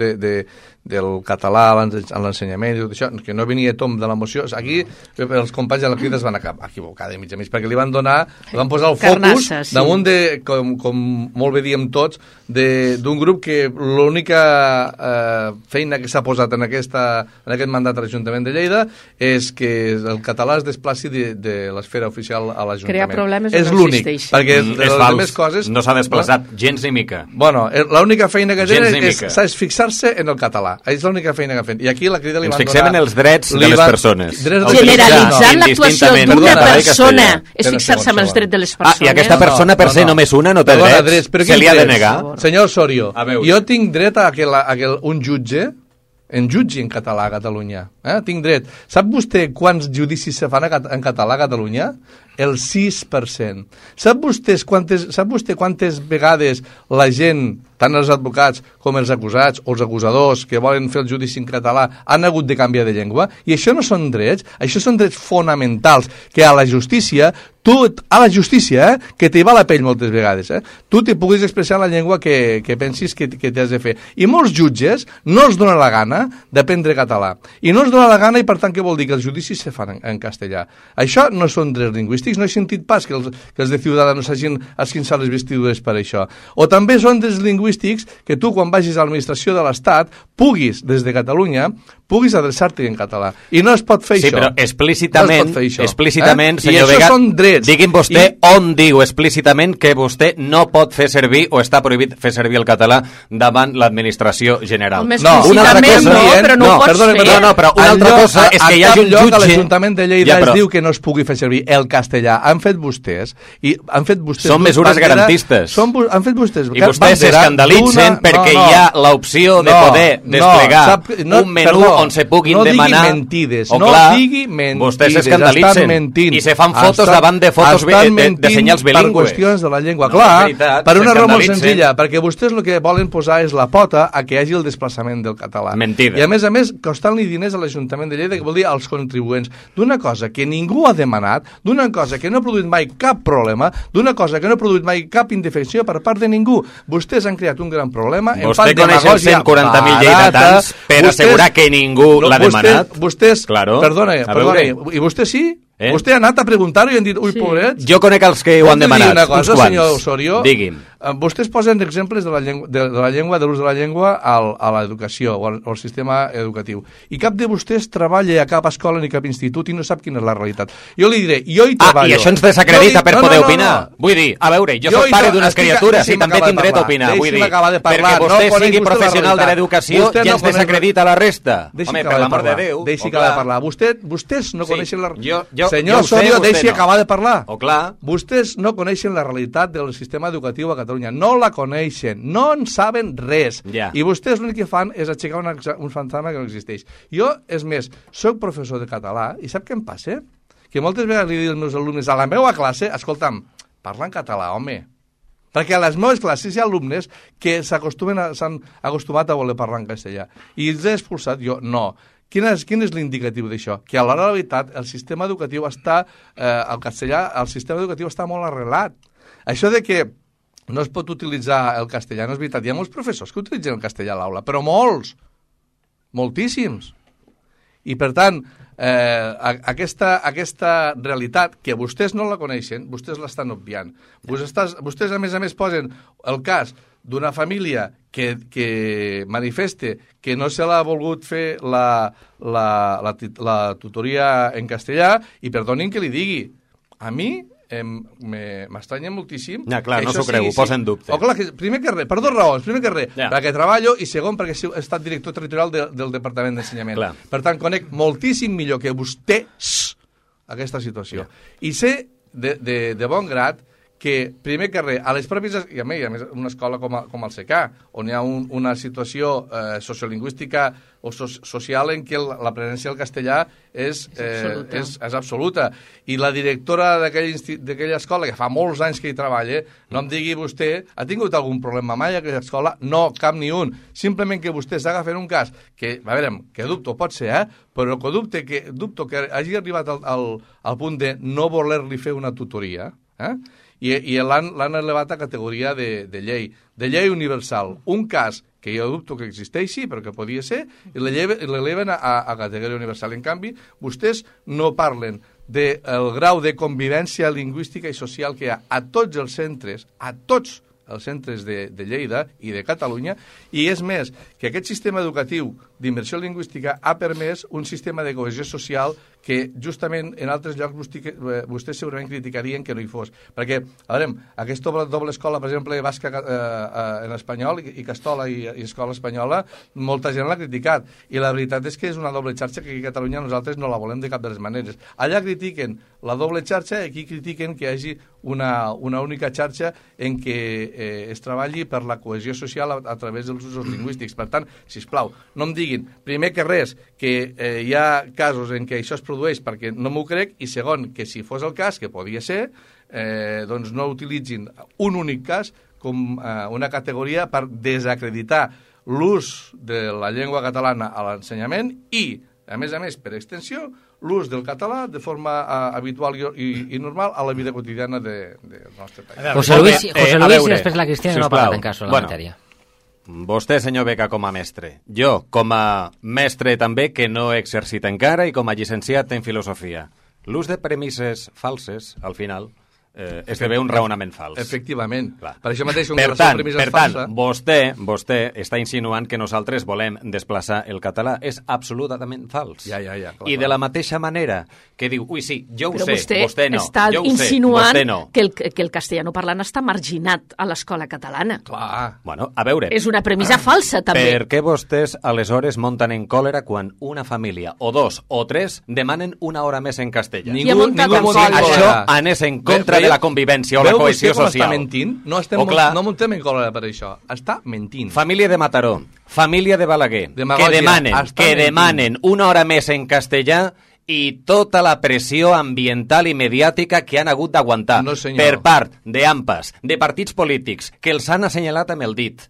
del català a l'ensenyament i tot això, que no venia tom de la moció. Aquí els companys de la Crida es van equivocar de mig a mig, perquè li van posar el focus damunt de, com molt bé diem tots, d'un grup que l'única feina que s'ha posat en aquest mandat a l'Ajuntament de Lleida és que el català es desplaci de l'esfera oficial a l'Ajuntament. Crear problemes és no existeix. Perquè és fals, no s'ha desplaçat gens ni mica. Bueno, l'única feina que tenen és fixar-se en el català. És l'única feina que han fet. I aquí la Crida li van donar... Ens fixem en els drets de les persones. Generalitzant l'actuació d'una persona és fixar-se en els drets de les persones. I aquesta persona, per ser només una, no té drets. Se li ha de negar. Senyor Osorio, jo tinc dret a que un jutge en jutgi en català a Catalunya. Tinc dret. Sap vostè quants judicis se fan en català a Catalunya? El 6%. Sap vostè quantes vegades la gent, tant els advocats com els acusats o els acusadors que volen fer el judici en català han hagut de canviar de llengua? I això no són drets, això són drets fonamentals que a la justícia, que t'hi va la pell moltes vegades, tu t'hi puguis expressar la llengua que pensis que t'has de fer. I molts jutges no els dona la gana d'aprendre català. I no els dona la gana i per tant què vol dir? Que els judicis se fan en castellà. Això no són drets lingüístics, no he sentit pas que els de Ciudadanos hagin esquinçat les vestidures per això. O també són drets lingüístics que tu quan vagis a l'administració de l'Estat puguis, des de Catalunya, puguis adreçar-te en català. I no es pot fer això. Sí, però explícitament, senyor Vega, digui'm vostè on diu explícitament que vostè no pot fer servir o està prohibit fer servir el català davant l'administració general. Una altra cosa, però no ho pots fer. Però una altra cosa és que hi hagi un jutge... A l'Ajuntament de Lleida es diu que no es pugui fer servir el castellà. Han fet vostès... Són mesures garantistes. Han fet vostès... I vostès s'escandalitzen perquè hi ha l'opció de poder desplegar un menú on se puguin demanar... No digui mentides. Vostès s'escandalitzen i se fan fotos davant de fotos de senyals bilingües. Per qüestions de la llengua. Clar, per una raó molt senzilla, perquè vostès el que volen posar és la pota a que hi hagi el desplaçament del català. Mentida. I a més, costant-li diners a l'Ajuntament de Lleida, que vol dir als contribuents, d'una cosa que ningú ha demanat, d'una cosa que no ha produït mai cap problema, d'una cosa que no ha produït mai cap indefensió per part de ningú. Vostès han creat un gran problema. Vostè coneix els 140.000 lleidatans per assegurar que ningú l'ha demanat? Vostès, perdona, i vostè sí? Vostè ha anat a preguntar-ho i han dit, ui, pobrets. Jo conec els que ho han demanat, una cosa, senyor Osorio? Digui'm. Vostès posen exemples de l'ús de la llengua a l'educació o al sistema educatiu. I cap de vostès treballa a cap escola ni cap institut i no sap quina és la realitat. Jo li diré, jo hi treballo... I això ens desacredita per poder opinar. Vull dir, a veure, jo soc pare d'unes criatures i també tinc dret a opinar. Vull dir, perquè vostè sigui professional de l'educació ja ens desacredita la resta. Home, per l'amor de Déu. Deixi acabar de parlar. Vostès no coneixen la... Senyor Osorio, deixi acabar de parlar. Vostès no coneixen la realitat del sistema educatiu a Catalunya. No la coneixen, no en saben res. I vostès l'únic que fan és aixecar un fantasma que no existeix. Jo, és més, soc professor de català i sap què em passa? Que moltes vegades li dic als meus alumnes a la meva classe, escolta'm, parla en català, home. Perquè a les meves classes hi ha alumnes que s'han acostumat a voler parlar en castellà. I els he expulsat jo? No. Quin és l'indicatiu d'això? Que a l'hora de la veritat el sistema educatiu està, el castellà, el sistema educatiu està molt arrelat. això de que no es pot utilitzar el castellà, no és veritat. Hi ha molts professors que utilitzen el castellà a l'aula, però molts, moltíssims. I, per tant, aquesta realitat, que vostès no la coneixen, vostès l'estan obviant. Vostès, a més, posen el cas d'una família que manifeste que no se l'ha volgut fer la tutoria en castellà, i perdonin que li digui, a mi m'estranya moltíssim. Ja, clar, no s'ho creu, ho posa en dubte. Clar, primer que res, per dues raons. Primer que res, perquè treballo, i segon, perquè he estat director territorial del Departament d'Ensenyament. Per tant, conec moltíssim millor que vostès aquesta situació. I sé de bon grat que, primer que res, a les pròpies... I a més, una escola com el CK, on hi ha una situació sociolingüística o social en què la presència del castellà és absoluta. I la directora d'aquella escola, que fa molts anys que hi treballa, no em digui vostè, ha tingut algun problema mai a aquella escola? No, cap ni un. Simplement que vostè s'agafen un cas que, a veure, que dubto, pot ser, però que dubto que hagi arribat al punt de no voler-li fer una tutoria, i l'han elevat a categoria de llei universal. Un cas que jo dubto que existeixi, però que podia ser, i l'eleven a categoria universal. En canvi, vostès no parlen del grau de convivència lingüística i social que hi ha a tots els centres, de Lleida i de Catalunya, i és més, que aquest sistema educatiu d'immersió lingüística ha permès un sistema de cohesió social que justament en altres llocs vostès segurament criticarien que no hi fos. Perquè, a veure, aquesta doble escola, per exemple, basca en espanyol i Castola i escola espanyola, molta gent l'ha criticat. I la veritat és que és una doble xarxa que aquí a Catalunya nosaltres no la volem de cap de les maneres. Allà critiquen la doble xarxa i aquí critiquen que hi hagi una única xarxa en què es treballi per la cohesió social a través dels usos lingüístics. Per tant, sisplau, no em diguin, primer que res, que hi ha casos en què això es produeix perquè no m'ho crec, i segon, que si fos el cas, que podia ser, doncs no utilitzin un únic cas com una categoria per desacreditar l'ús de la llengua catalana a l'ensenyament i, a més, per extensió, l'ús del català de forma habitual i normal a la vida quotidiana del nostre país. José Luis i després la Cristina no ha parlat en cas de la matèria. Vostè, senyor Beca, com a mestre. Jo, com a mestre també, que no he exercit encara, i com a llicenciat en filosofia. L'ús de premisses falses, al final, esdevé un raonament fals. Efectivament. Per això mateix, per tant, vostè està insinuant que nosaltres volem desplaçar el català. És absolutament fals. Ja. I de la mateixa manera que diu, ui, sí, jo ho sé, vostè no. Està insinuant que el castellano parlant està marginat a l'escola catalana. Clar. Bueno, a veure... És una premissa falsa, també. Per què vostès, aleshores, monten en còlera quan una família, o dos, o tres, demanen una hora més en castellà? Ningú això anés en contra de la convivència o la cohesió social. Està mentint? No muntem en còlera per això. Està mentint. Família de Mataró, família de Balaguer, que demanen una hora més en castellà i tota la pressió ambiental i mediàtica que han hagut d'aguantar per part d'AMPAs, de partits polítics, que els han assenyalat amb el dit.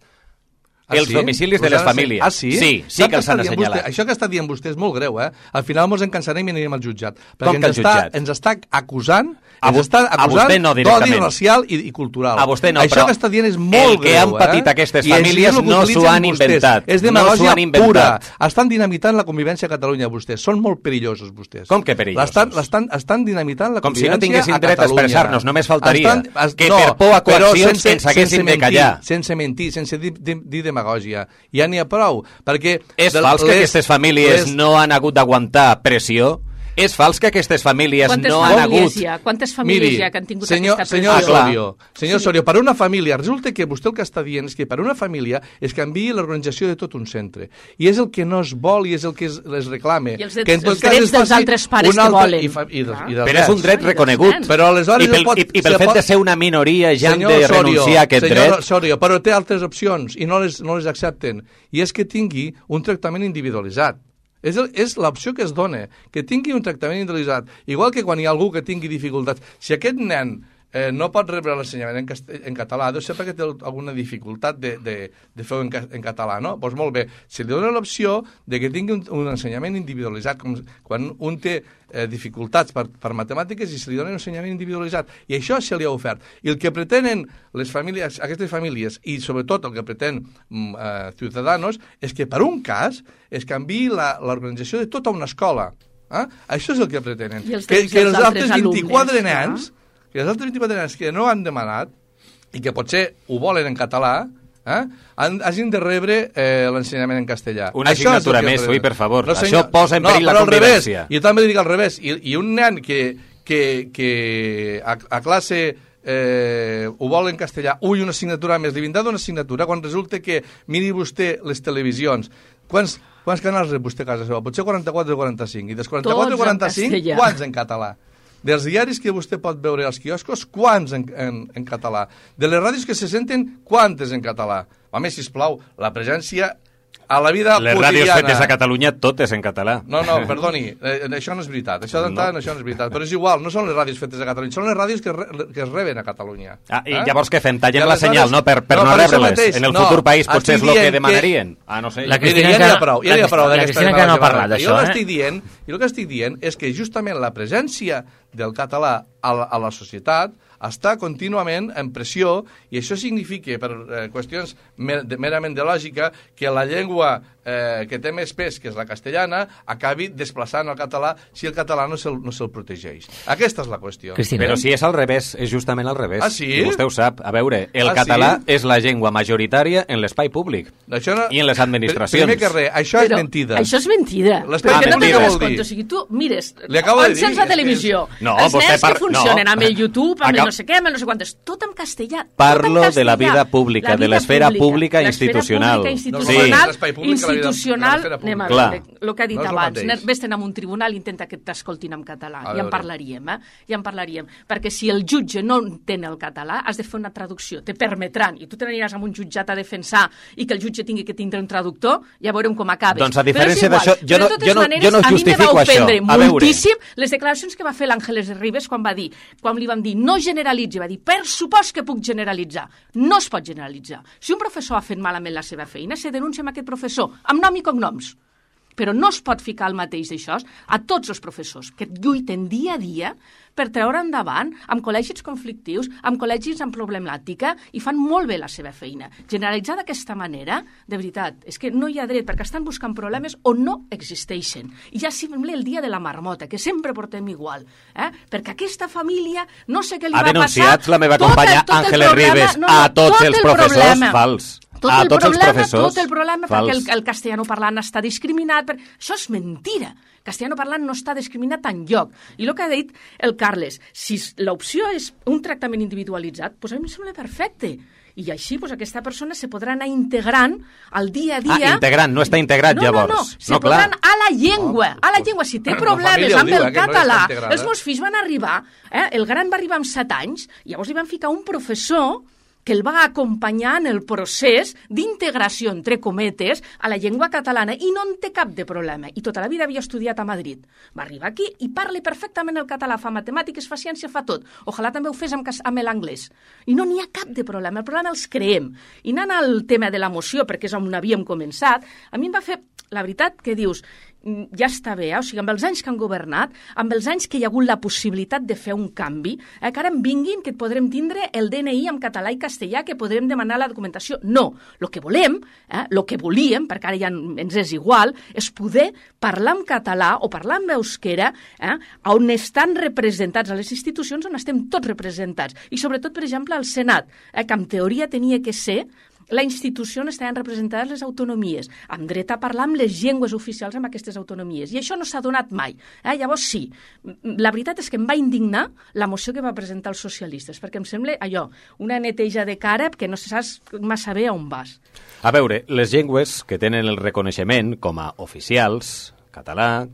Els domicilis de les famílies. Sí que els han assenyalat. Això que està dient vostè és molt greu, Al final ens en cansarem i anirem al jutjat. Com que al jutjat? Ens està acusant d'odi racial i cultural. A vostè no, això que està dient és molt greu. El que han patit aquestes famílies no s'ho han inventat. És demagògia pura. Estan dinamitant la convivència a Catalunya, vostès. Són molt perillosos, vostès. Com que perillosos? Estan dinamitant la convivència a Catalunya. Com si no tinguessin dret a expressar-nos, només faltaria. Que per por a coaccions ens haguessin de callar. Sense mentir, sense dir demagògia. Ja n'hi ha prou. Perquè és fals que aquestes famílies no han hagut d'aguantar pressió? És fals que aquestes famílies no han hagut... Quantes famílies hi ha que han tingut aquesta pressió? Senyor Osorio, per una família, resulta que vostè el que està dient és que per una família es canviï l'organització de tot un centre. I és el que no es vol i és el que es reclama. I els drets dels altres pares que volen. Però és un dret reconegut. I pel fet de ser una minoria ja han de renunciar a aquest dret. Senyor Osorio, però té altres opcions i no les accepten. I és que tingui un tractament individualitzat. És l'opció que es dona, que tingui un tractament individualitzat. Igual que quan hi ha algú que tingui dificultats. Si aquest nen no pot rebre l'ensenyament en català, deu ser perquè té alguna dificultat de fer-ho en català, no? Doncs molt bé, se li dona l'opció de que tingui un ensenyament individualitzat, com quan un té dificultats per matemàtiques i se li dona un ensenyament individualitzat, i això se li ha ofert. I el que pretenen aquestes famílies, i sobretot el que pretén Ciudadanos, és que per un cas es canviï l'organització de tota una escola. Això és el que pretenen. Que els altres 24 nens, que els altres 24 nens que no han demanat i que potser ho volen en català, hagin de rebre l'ensenyament en castellà. Una assignatura més, ui, per favor. No, això posa en perill la convivència. Jo també dic al revés. I un nen que a classe ho vol en castellà, una assignatura més, li vindrà d'una assignatura quan resulta que miri vostè les televisions. Quants canals rep vostè a casa seva? Potser 44 o 45. I dels 44 o 45, quants en català? Dels diaris que vostè pot veure als quioscos, quants en català? De les ràdios que se senten, quantes en català? Home, sisplau, la presència a la vida les quotidiana... Les ràdios fetes a Catalunya, totes en català. No, perdoni, això no és veritat. Això d'entrada això no és veritat. Però és igual, no són les ràdios fetes a Catalunya, són les ràdios que es reben a Catalunya. I llavors què fem? Tallem la senyal, no? Per no rebre-les. En el futur país potser és el que demanarien. No sé. La Cristina ja n'hi ha prou. La Cristina que no ha parlat d'això. Jo el que estic dient és que justament la presència del català a la societat està contínuament en pressió, i això significa, per qüestions merament de lògica, que la llengua que té més pes, que és la castellana, acabi desplaçant el català si el català no se'l protegeix. Aquesta és la qüestió. Cristina. Però si és al revés, és justament al revés. Ah, sí? I vostè ho sap. A veure, el català és la llengua majoritària en l'espai públic i en les administracions. Primer que res, això és mentida. Això és mentida. L'espai públic què vol dir? O sigui, tu mires, encens la televisió, els nens que funcionen amb el YouTube, amb el no sé què, amb el no sé quantes, tot en castellà. Parlo de la vida pública, de l'esfera pública institucional. Institucional, anem a veure, el que ha dit abans, vés-te'n a un tribunal i intenta que t'escoltin en català, i en parlaríem, perquè si el jutge no entén el català, has de fer una traducció, te permetran, i tu te n'aniràs amb un jutjat a defensar i que el jutge tingui que tindre un traductor, ja veurem com acabes. Doncs a diferència d'això, jo no justifico això. A mi me va ofendre moltíssim les declaracions que va fer l'Àngeles Ribes quan li vam dir no generalitzi, va dir per supost que puc generalitzar. No es pot generalitzar. Si un professor ha fet malament la seva feina, se denuncia amb aquest professor, amb nom i cognoms. Però no es pot ficar el mateix d'això a tots els professors que lluiten dia a dia per treure endavant amb col·legis conflictius, amb col·legis amb problemàtica, i fan molt bé la seva feina. Generalitzar d'aquesta manera, de veritat, és que no hi ha dret, perquè estan buscant problemes on no existeixen. I ja sembla el dia de la marmota, que sempre portem igual. Perquè aquesta família, no sé què li va passar... Ha denunciat la meva companya Àngeles Ribes a tots els professors fals. Tot el problema perquè el castellano-parlant està discriminat. Això és mentira. Castellano-parlant no està discriminat enlloc. I el que ha dit el Carles, si l'opció és un tractament individualitzat, doncs a mi em sembla perfecte. I així aquesta persona se podrà anar integrant al dia a dia... integrant, no està integrat llavors. No, se podrà anar a la llengua. Si té problemes amb el català, els meus fills van arribar, el gran va arribar amb 7 anys, llavors li van ficar un professor que el va acompanyar en el procés d'integració, entre cometes, a la llengua catalana, i no en té cap de problema. I tota la vida havia estudiat a Madrid. Va arribar aquí i parla perfectament el català, fa matemàtiques, fa ciència, fa tot. Ojalà també ho fes amb l'anglès. I no n'hi ha cap de problema, el problema els creem. I anant al tema de la moció, perquè és on havíem començat, a mi em va fer, la veritat, que dius... ja està bé, o sigui, amb els anys que han governat, amb els anys que hi ha hagut la possibilitat de fer un canvi, que ara en vinguin que podrem tindre el DNI en català i castellà, que podrem demanar la documentació. No, el que volem, el que volíem, perquè ara ja ens és igual, és poder parlar en català o parlar en euskera, on estan representats a les institucions, on estem tots representats. I sobretot, per exemple, al Senat, que en teoria tenia que ser la institució on estaven representades les autonomies, amb dret a parlar amb les llengües oficials amb aquestes autonomies. I això no s'ha donat mai. Llavors sí, la veritat és que em va indignar la moció que va presentar els socialistes, perquè em sembla allò, una neteja de cara que no se saps massa bé on vas. A veure, les llengües que tenen el reconeixement com a oficials, català,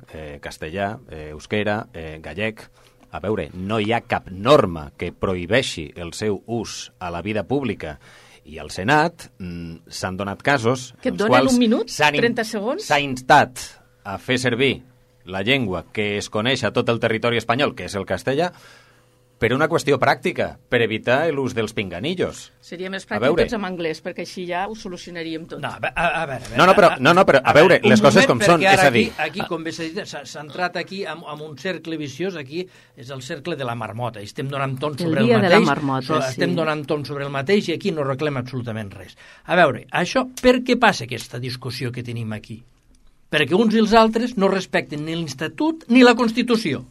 castellà, euskera, gallec, a veure, no hi ha cap norma que prohibeixi el seu ús a la vida pública. I al Senat s'han donat casos que et donen un minut, 30 segons. S'ha instat a fer servir la llengua que es coneix a tot el territori espanyol, que és el castellà, Per una qüestió pràctica, per evitar l'ús dels pinganillos. Seria més pràctic tots en anglès, perquè així ja ho solucionaríem tot. No, a veure... però a veure, les coses com són, és a dir... Aquí, com bé s'ha dit, s'ha entrat aquí amb un cercle viciós, aquí és el cercle de la marmota, i estem donant ton sobre el mateix. El dia de la marmota, sí. Estem donant ton sobre el mateix i aquí no reclem absolutament res. A veure, això, per què passa aquesta discussió que tenim aquí? Perquè uns i els altres no respecten ni l'Estatut ni la Constitució.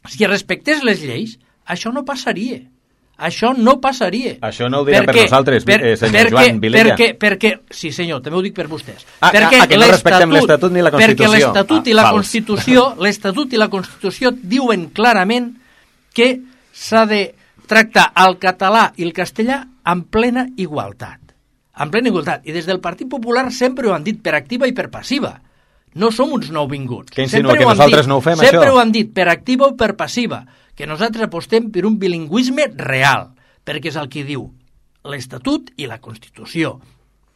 Si respectés les lleis, això no passaria. Això no passaria. Això no ho dirà per nosaltres, senyor Joan Vilella. Perquè, sí senyor, també ho dic per vostès. Que no respectem l'Estatut ni la Constitució. Perquè l'Estatut i la Constitució diuen clarament que s'ha de tractar el català i el castellà en plena igualtat. En plena igualtat. I des del Partit Popular sempre ho han dit per activa i per passiva. No som uns nouvinguts. Que insinua que nosaltres no ho fem, això? Sempre ho han dit, per activa o per passiva, que nosaltres apostem per un bilingüisme real, perquè és el que diu l'Estatut i la Constitució.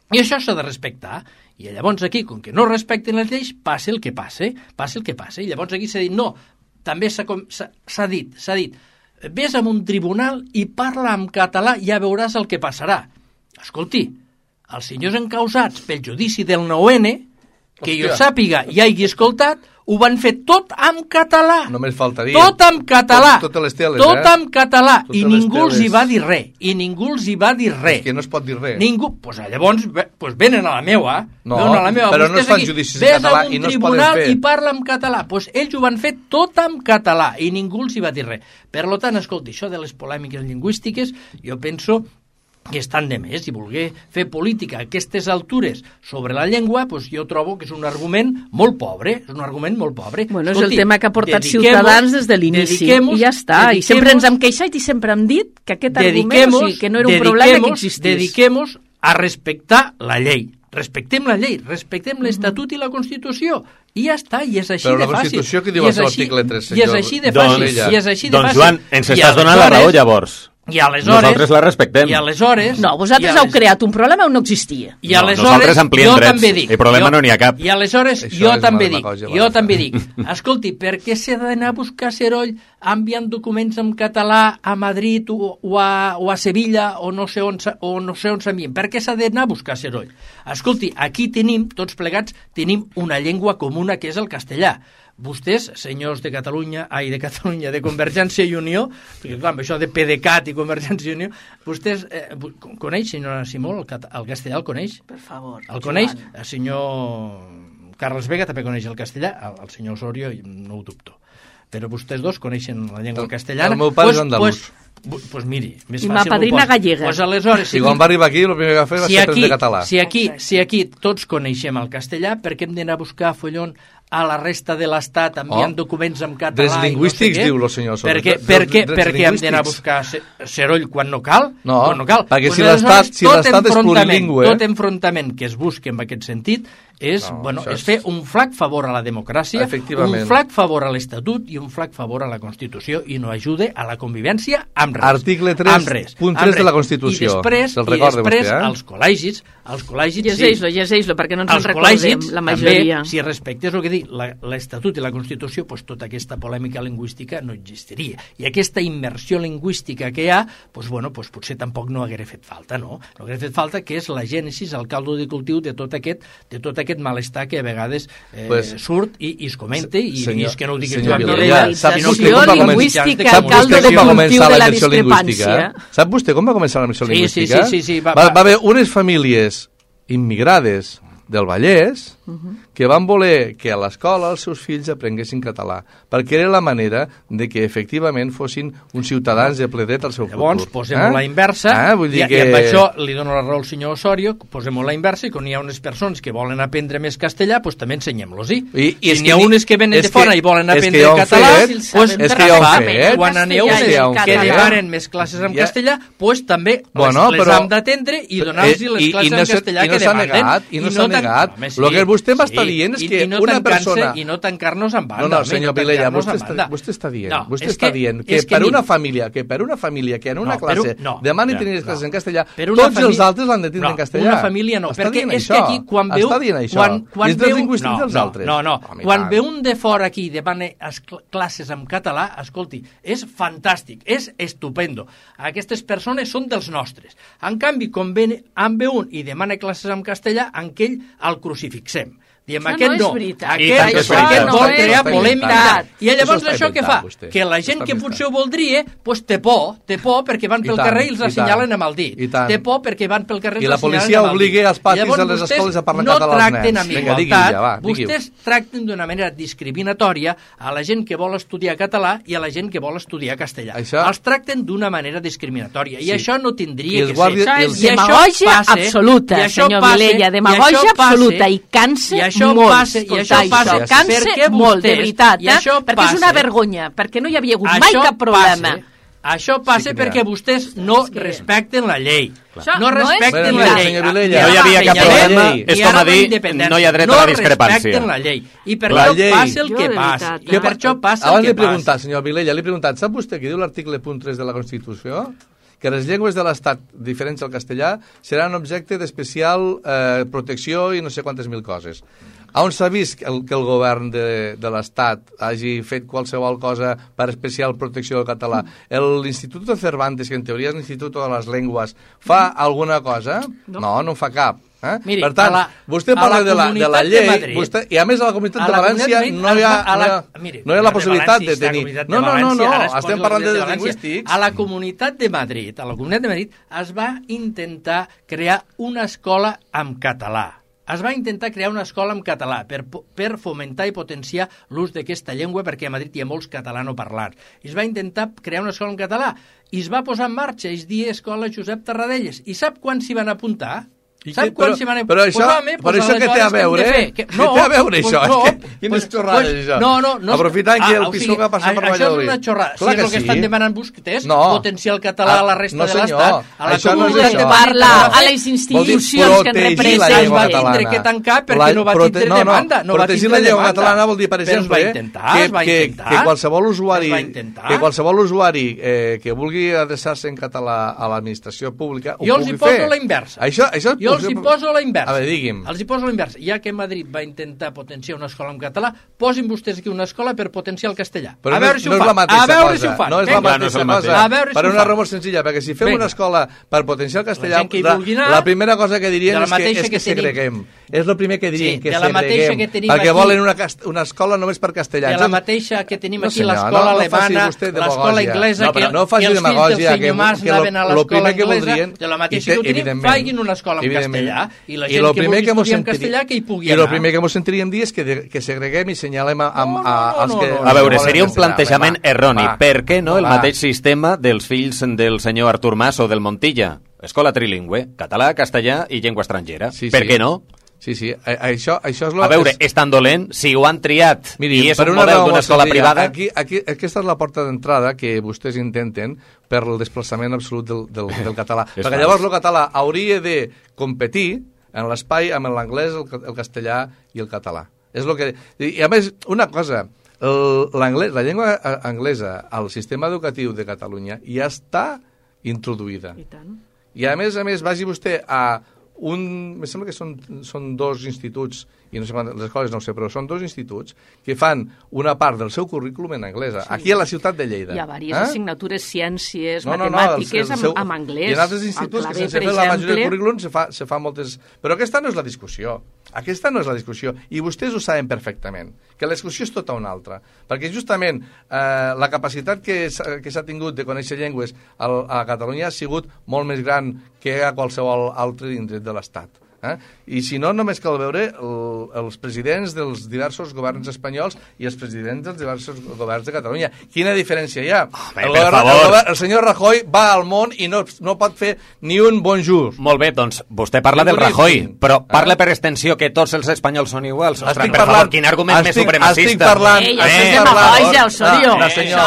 I això s'ha de respectar. I llavors aquí, com que no respecten les lleis, passa el que passa. I llavors aquí s'ha dit, no, també s'ha dit, vés a un tribunal i parla en català i ja veuràs el que passarà. Escolti, els senyors encausats pel judici del 9N, que jo sàpiga i hagi escoltat, ho van fer tot en català. Només faltaria. Tot en català. Totes les teles, tot en català. I ningú els hi va dir res. És que no es pot dir res. Ningú. Pues llavors venen a la meua. No, però no es fan judicis en català i no es poden fer. Ves a un tribunal i parla en català. Pues ells ho van fer tot en català i ningú els hi va dir res. Per tant, escolti, això de les polèmiques lingüístiques, jo penso que estan de més, i voler fer política a aquestes altures sobre la llengua, doncs jo trobo que és un argument molt pobre, Bueno, escolti, és el tema que ha portat Ciutadans des de l'inici, i ja està, i sempre ens hem queixat i sempre hem dit que aquest argument, o sigui, que no era un problema que existís. Dediquem-nos a respectar la llei. Respectem la llei, respectem l'Estatut i la Constitució, i ja està, i és així de fàcil. Però la Constitució que diu a l'article 3, senyor? I és així de fàcil. Doncs Joan, ens estàs donant la raó llavors. I aleshores, nosaltres la respectem. I aleshores... No, vosaltres heu creat un problema on no existia. I aleshores, nosaltres ampliem drets. El problema no n'hi ha cap. I aleshores, jo també dic, escolti, per què s'ha d'anar a buscar Seroll enviant documents en català a Madrid o a Sevilla o no sé on s'envien? Per què s'ha d'anar a buscar Seroll? Escolti, aquí tenim, tots plegats, tenim una llengua comuna que és el castellà. Vostès, senyors de Catalunya, de Convergència i Unió, perquè clar, això de PDeCAT i Convergència i Unió, vostès coneix, senyora Simó, el castellà el coneix? Per favor. El coneix? El senyor Carles Vega també coneix el castellà, el senyor Osorio no ho dubto. Però vostès dos coneixen la llengua castellana. El meu pare és andalús. Pues miri, més fàcil. I ma padrina gallega. Pues aleshores, si quan va arribar aquí, el primer que va fer va ser de català. Si aquí tots coneixem el castellà, per què hem d'anar a buscar follon a la resta de l'Estat enviant documents en català? Drets lingüístics, diu el senyor Soros. Per què hem d'anar a buscar Seroll quan no cal? No, perquè si l'Estat és plurilingüe... Tot enfrontament que es busqui en aquest sentit és fer un flac favor a la democràcia, un flac favor a l'Estatut i un flac favor a la Constitució, i no ajude a la convivència amb res. Article 3, punt 3 de la Constitució. I després els col·legis... Llegeix-lo, perquè no ens en recordem, la majoria. Si respectés el que dic, l'Estatut i la Constitució, doncs tota aquesta polèmica lingüística no existiria. I aquesta immersió lingüística que hi ha, doncs potser tampoc no haguera fet falta, no? No haguera fet falta, que és la gènesis, el caldo de cultiu de tot aquest malestar que a vegades surt i es comenta, i és que no ho dic jo, lingüística, el caldo de cultiu de la discrepància. Sap vostè com va començar la immersió lingüística? Sí. Va haver unes famílies immigrades del Vallès que van voler que a l'escola els seus fills aprenguessin català, perquè era la manera de que efectivament fossin uns ciutadans de ple dret al seu futur. Llavors, posem-ho a la inversa, i amb això li dono la raó al senyor Osorio, posem-ho a la inversa, i quan hi ha unes persones que volen aprendre més castellà, doncs també ensenyem-los-hi. Si n'hi ha unes que venen de fora i volen aprendre català, quan n'hi ha unes que demanen més classes en castellà, doncs també les han d'atendre i donar-los les classes en castellà que demanen. I no delegat. El que vostè m'està dient és que una persona... I no tancar-nos en banda. No, senyor Vilella, vostè està dient que per una família que en una classe demani tenir les classes en castellà, tots els altres l'han de tindre en castellà. Una família no, perquè és que aquí quan veu... Està dient això. És dels lingüístics dels altres. No. Quan ve un de fora aquí i demana classes en català, escolti, és fantàstic, és estupendo. Aquestes persones són dels nostres. En canvi, quan ve un i demana classes en castellà, en aquell el crucifixem. Diem, aquest no, aquest vol crear polèmica. I llavors això què fa? Que la gent que potser ho voldria, doncs té por perquè van pel carrer i els assenyalen amb el dit. Té por perquè van pel carrer i els assenyalen amb el dit. I la policia obliga als patis de les escoles a parlar català als nens. No tracten amb igualtat, vostès tracten d'una manera discriminatòria a la gent que vol estudiar català i a la gent que vol estudiar castellà. Els tracten d'una manera discriminatòria i això no tindria que ser. Això és demagògia absoluta, senyor Vilella, demagògia absoluta i cansa molt, cansa molt, de veritat, perquè és una vergonya, perquè no hi havia hagut mai cap problema. Això passa perquè vostès no respecten la llei. No respecten la llei. No hi havia cap problema, és com a dir, no hi ha dret a la discrepància. No respecten la llei. I per això passa el que passa. I per això passa el que passa. Senyor Vilella, li he preguntat, sap vostè què diu l'article punt 3 de la Constitució? Que les llengües de l'Estat, diferents al castellà, seran objecte d'especial protecció i no sé quantes mil coses. On s'ha vist que el govern de l'Estat hagi fet qualsevol cosa per especial protecció del català? L'Institut de Cervantes, que en teoria és l'Institut de les Llengües, fa alguna cosa? No fa cap. Miri, per tant, vostè parla de la llei i a més a la Comunitat de València no hi ha la possibilitat de tenir... No, estem parlant de lingüístics. A la Comunitat de Madrid es va intentar crear una escola en català. Es va intentar crear una escola en català per fomentar i potenciar l'ús d'aquesta llengua perquè a Madrid hi ha molts catalanoparlants. Es va intentar crear una escola en català i es va posar en marxa, es deia Escola Josep Tarradellas. I sap quan s'hi van apuntar? Però això què té a veure? Què té a veure això? Quines xorrades, això? Aprofitant que el PSOE va passar per Valladolid. Això és una xorrada. Si és el que estan demanant vostès, potenciar el català a la resta de l'Estat, a la Comunitat de parla a les institucions que representen. Es va tindre que tancar perquè no va tindre demanda. Protegir la llengua catalana vol dir, per exemple, que qualsevol usuari que vulgui adreçar-se en català a l'administració pública ho pugui fer. Jo els hi poso la inversa. Jo els hi poso la inversa. A veure, digui'm. Els hi poso la inversa. Ja que Madrid va intentar potenciar una escola en català, posin vostès aquí una escola per potenciar el castellà. Però no és la mateixa cosa. No és la mateixa cosa. Per una raó molt senzilla, perquè si fem una escola per potenciar el castellà, la primera cosa que dirien és que segreguem. És el primer que dirien, que segreguem. Perquè volen una escola només per castellà. De la mateixa que tenim aquí l'escola alemana, l'escola inglesa, que els fills del senyor Mas anaven a l'escola inglesa, de la mateixa que ho tenim, facin una escola en castellà, i la gent que vulgui estudiar en castellà que hi pugui anar. I el primer que ens sentiríem dir és que segreguem i senyalem als que... A veure, seria un plantejament erroni. Per què no el mateix sistema dels fills del senyor Artur Mas o del Montilla? Escola trilingüe, català, castellà i llengua estrangera. Per què no? Sí, això és... A veure, és tan dolent si ho han triat i és un model d'una escola privada... Aquesta és la porta d'entrada que vostès intenten per el desplaçament absolut del català. Perquè llavors el català hauria de competir en l'espai amb l'anglès, el castellà i el català. És el que... I a més, una cosa, la llengua anglesa al sistema educatiu de Catalunya ja està introduïda. I tant. I a més, vagi vostè a... em sembla que són dos instituts, i no sé quantes, les escoles no ho sé, però són dos instituts que fan una part del seu currículum en anglès, aquí a la ciutat de Lleida. Hi ha diverses assignatures, ciències, matemàtiques, amb anglès. I en altres instituts que sense fer la majoria del currículum se fa moltes... Però aquesta no és la discussió. Aquesta no és la discussió. I vostès ho saben perfectament, que la discussió és tota una altra. Perquè justament la capacitat que s'ha tingut de conèixer llengües a Catalunya ha sigut molt més gran que a qualsevol altre indret de l'Estat. I si no, només cal veure els presidents dels diversos governs espanyols i els presidents dels diversos governs de Catalunya. Quina diferència hi ha? El senyor Rajoy va al món i no pot fer ni un bonjour. Molt bé, doncs vostè parla del Rajoy, però parla per extensió que tots els espanyols són iguals. Per favor, quin argument més supremacista. Estic parlant... Ei, això és demagògia, Osorio. No, senyor,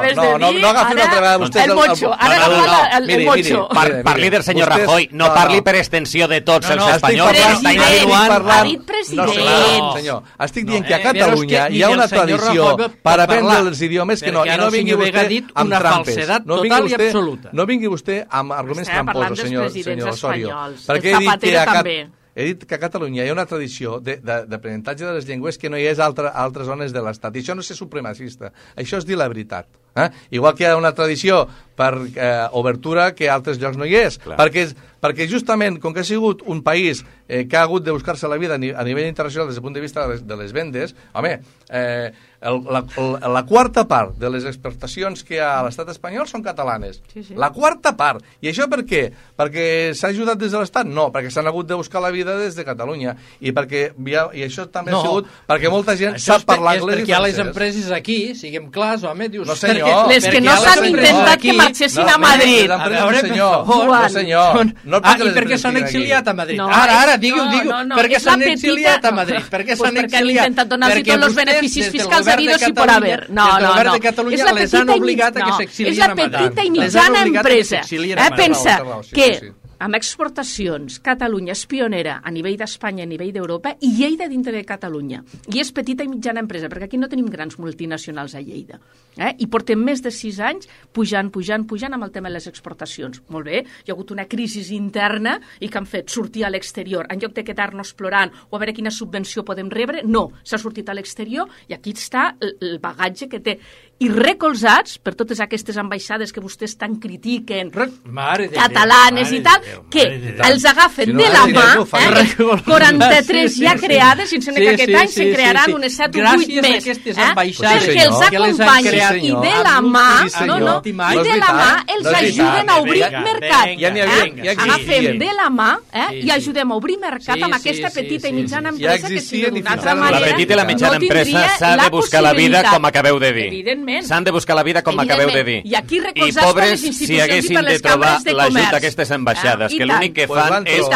perdó. No agafi una altra vegada vostè el mocho. Ara agafa el mocho. Parli del senyor Rajoy, no parli per extensió de tots els espanyols. espanyol que està insinuant... Ha dit president. Senyor, estic dient que a Catalunya hi ha una tradició per aprendre els idiomes que no vingui vostè amb trampes. No vingui vostè amb arguments tramposos, senyor Osorio. Perquè he dit que a Catalunya hi ha una tradició d'aprenentatge de les llengües que no hi és a altres zones de l'Estat. I això no és ser supremacista. Això és dir la veritat. Igual que hi ha una tradició per obertura que a altres llocs no hi és. Perquè justament, com que ha sigut un país que ha hagut de buscar-se la vida a nivell internacional des del punt de vista de les vendes, home, la quarta part de les exportacions que hi ha a l'estat espanyol són catalanes. La quarta part. I això per què? Perquè s'ha ajudat des de l'estat? No, perquè s'han hagut de buscar la vida des de Catalunya. I això també ha sigut perquè molta gent sap parlar anglès i francès. Perquè hi ha les empreses aquí, siguem clars, home, dius... No, senyor. Les que no s'han intentat que marxessin a Madrid. No, senyor. I per què s'han exiliat a Madrid? Ara, digui'ho. Per què s'han exiliat a Madrid? Per què s'han exiliat? Perquè han intentat donar-los tots els beneficis fiscals habidos i por haver. No. El govern de Catalunya les han obligat a que s'exilien a Madrid. És la petita i mitjana empresa. Pensa que amb exportacions, Catalunya és pionera a nivell d'Espanya, a nivell d'Europa, i Lleida dintre de Catalunya. I és petita i mitjana empresa, perquè aquí no tenim grans multinacionals a Lleida. I portem més de 6 anys pujant amb el tema de les exportacions. Molt bé, hi ha hagut una crisi interna i que han fet sortir a l'exterior. En lloc de quedar-nos plorant o a veure quina subvenció podem rebre, no, s'ha sortit a l'exterior i aquí està el bagatge que té. I recolzats per totes aquestes ambaixades que vostès tant critiquen, catalanes i tal, que els agafen de la mà, 43 ja creades, sense que aquest any se crearan unes 7 o 8 més, perquè els acompanyen i de la mà, els ajuden a obrir mercat. Agafem de la mà i ajudem a obrir mercat amb aquesta petita i mitjana empresa que si d'una altra manera la petita i la mitjana empresa s'ha de buscar la vida, com acabeu de dir. Evidentment. S'han de buscar la vida, com acabeu de dir. I aquí recolzats per les institucions i per les cambres de comerç. L'ajut d'aquestes ambaixades, que l'únic que fan és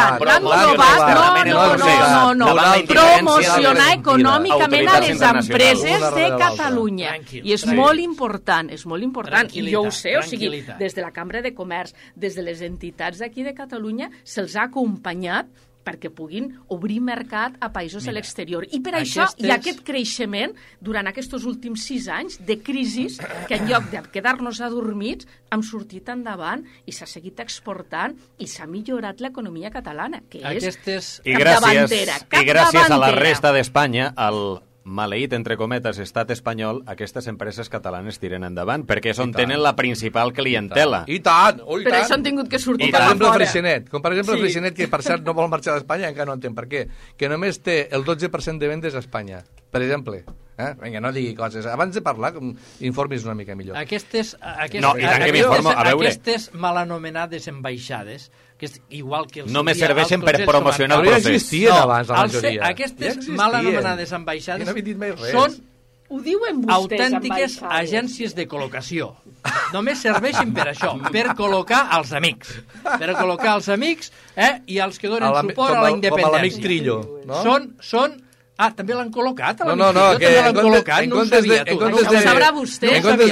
promocionar econòmicament a les empreses de Catalunya. I és molt important, I jo ho sé, o sigui, des de la Cambra de Comerç, des de les entitats d'aquí de Catalunya, se'ls ha acompanyat perquè puguin obrir mercat a països de l'exterior. I per això hi ha aquest creixement durant aquests últims 6 anys de crisis que en lloc de quedar-nos adormits hem sortit endavant i s'ha seguit exportant i s'ha millorat l'economia catalana, que és capdavantera. I gràcies a la resta d'Espanya, al maleït, entre cometes, estat espanyol, aquestes empreses catalanes tiren endavant, perquè és on tenen la principal clientela. I tant! Per això han tingut que sortir per exemple Freixenet, com per exemple Freixenet, que per cert no vol marxar d'Espanya, encara no entenc per què, que només té el 12% de vendes a Espanya, per exemple. Vinga, no digui coses. Abans de parlar, informis una mica millor. Aquestes mal anomenades ambaixades, que és igual que només serveixen per promocionar el procés. Ja existien abans, la majoria. Aquestes mal anomenades ambaixades són autèntiques agències de col·locació. Només serveixen per això, per col·locar els amics. Per col·locar els amics i els que donen suport a la independència. Com l'amic Trillo, no? Són... també l'han col·locat, No, que en comptes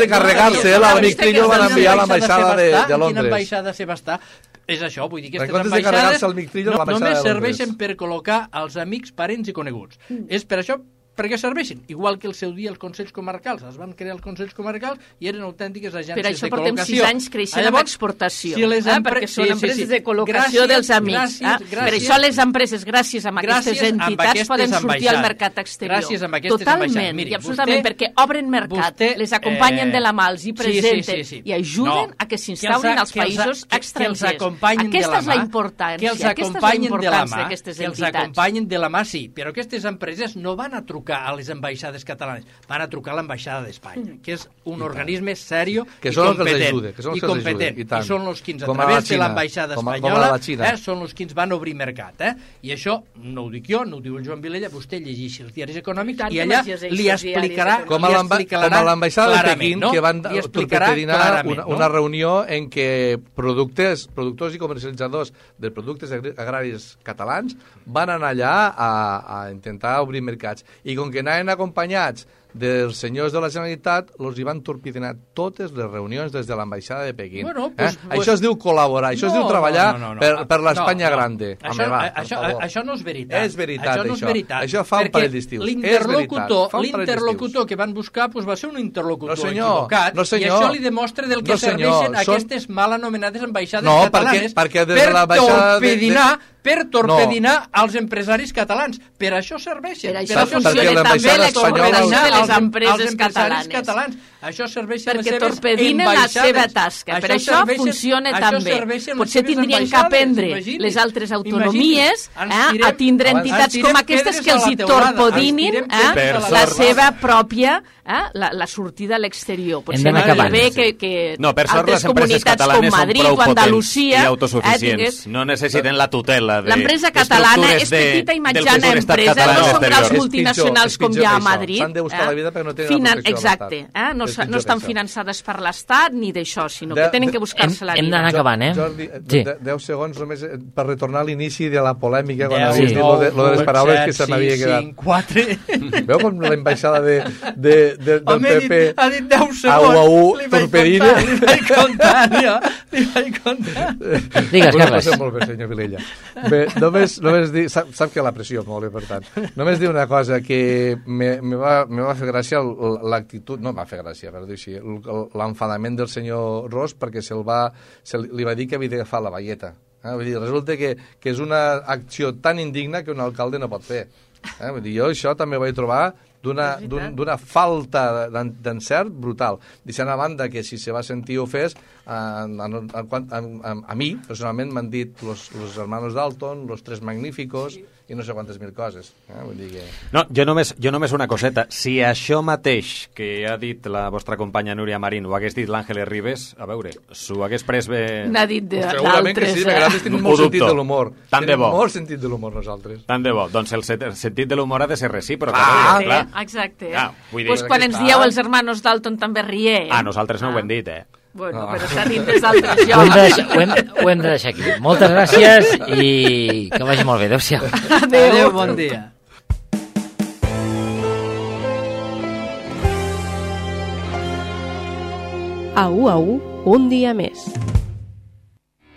de carregar-se l'amic Trillo van enviar a l'ambaixada de Londres. Quina ambaixada se va estar? És això, vull dir que aquestes ambaixades només serveixen per col·locar els amics, parents i coneguts. És per això perquè serveixin, igual que el seu dia els Consells Comarcals, es van crear els Consells Comarcals i eren autèntiques agències de col·locació. Per això portem 6 anys creixent amb exportació, perquè són empreses de col·locació dels amics. Per això les empreses, gràcies a aquestes entitats, poden sortir al mercat exterior. Totalment, i absolutament, perquè obren mercat, les acompanyen de la mà, els hi presenten i ajuden a que s'instaurin als països estrangers. Aquesta és la importància, d'aquestes entitats. Que els acompanyen de la mà, sí, però aquestes empreses no van a trucar a les ambaixades catalanes, van a trucar a l'ambaixada d'Espanya, que és un organisme serio i competent. I són els que, a través de l'ambaixada espanyola, són els que ens van obrir mercat. I això no ho dic jo, no ho diu el Joan Vilella, vostè llegeixi els diaris econòmics i allà li explicarà com a l'ambaixada de Pequín, que van torpedinar una reunió en què productors i comercialitzadors de productes agraris catalans van anar allà a intentar obrir mercats. I com que anaven acompanyats dels senyors de la Generalitat els hi van torpedinar totes les reunions des de l'ambaixada de Pequín. Això es diu col·laborar, això es diu treballar per l'Espanya grande. Això no és veritat. És veritat, això fa un parell d'estius. L'interlocutor que van buscar va ser un interlocutor equivocat, i això li demostra del que serveixen aquestes mal anomenades ambaixades catalanes per torpedinar els empresaris catalans. Per això serveixen. Per això funciona també l'explotació de les empreses catalanes. Això serveix a les perquè seves torpedinen la seva tasca. Per això funciona també. Potser tindrien que aprendre les altres autonomies a tindre entitats com aquestes que els hi torpedinin la seva pròpia la sortida a l'exterior. Potser no bé que altres comunitats com Madrid o Andalusia i autosuficients no necessiten la tutela l'empresa catalana és petita i mitjana empresa, no són grans multinacionals com hi ha a Madrid. S'han de buscar la vida perquè no tenen la protecció de l'Estat. No estan finançades per l'Estat ni d'això, sinó que tenen que buscar-se la vida. Hem d'anar acabant, Jordi, 10 segons només per retornar a l'inici de la polèmica quan havies dit lo de les paraules que se m'havia quedat. 5, 4... Veu com l'ambaixada del PP ha dit 10 segons, li vaig contar. Digues, Carles. Molt bé, senyor Vilella. Bé, només dir, sap que l'aprecio molt, per tant. Només dir una cosa, que me va fer gràcia l'actitud, no va fer gràcia, per dir així, l'enfadament del senyor Ros perquè li va dir que havia d'agafar la baieta. Vull dir, resulta que és una acció tan indigna que un alcalde no pot fer. Vull dir, jo això també ho vaig trobar d'una falta d'encert brutal. Deixant a banda que si se va sentir ofès, a mi, personalment, m'han dit los hermanos Dalton, los tres magníficos, i no sé quantes mil coses. Vull dir que... No, jo només una coseta. Si això mateix que ha dit la vostra companya Núria Marín ho hagués dit l'Àngeles Ribes, a veure, s'ho hagués pres bé... N'ha dit d'altres. Segurament que sí, perquè nosaltres tenim molt sentit de l'humor. Tant de bo. Tenim molt sentit de l'humor, nosaltres. Tant de bo. Doncs el sentit de l'humor ha de ser recíproc. Clar. Exacte. Pues quan ens dieu els hermanos Dalton també riem. Nosaltres no ho hem dit, Bueno, però està dins dels altres jocs. Ho hem de deixar aquí. Moltes gràcies i que vagi molt bé. Adéu-siau. Adéu, bon dia. A U, un dia més.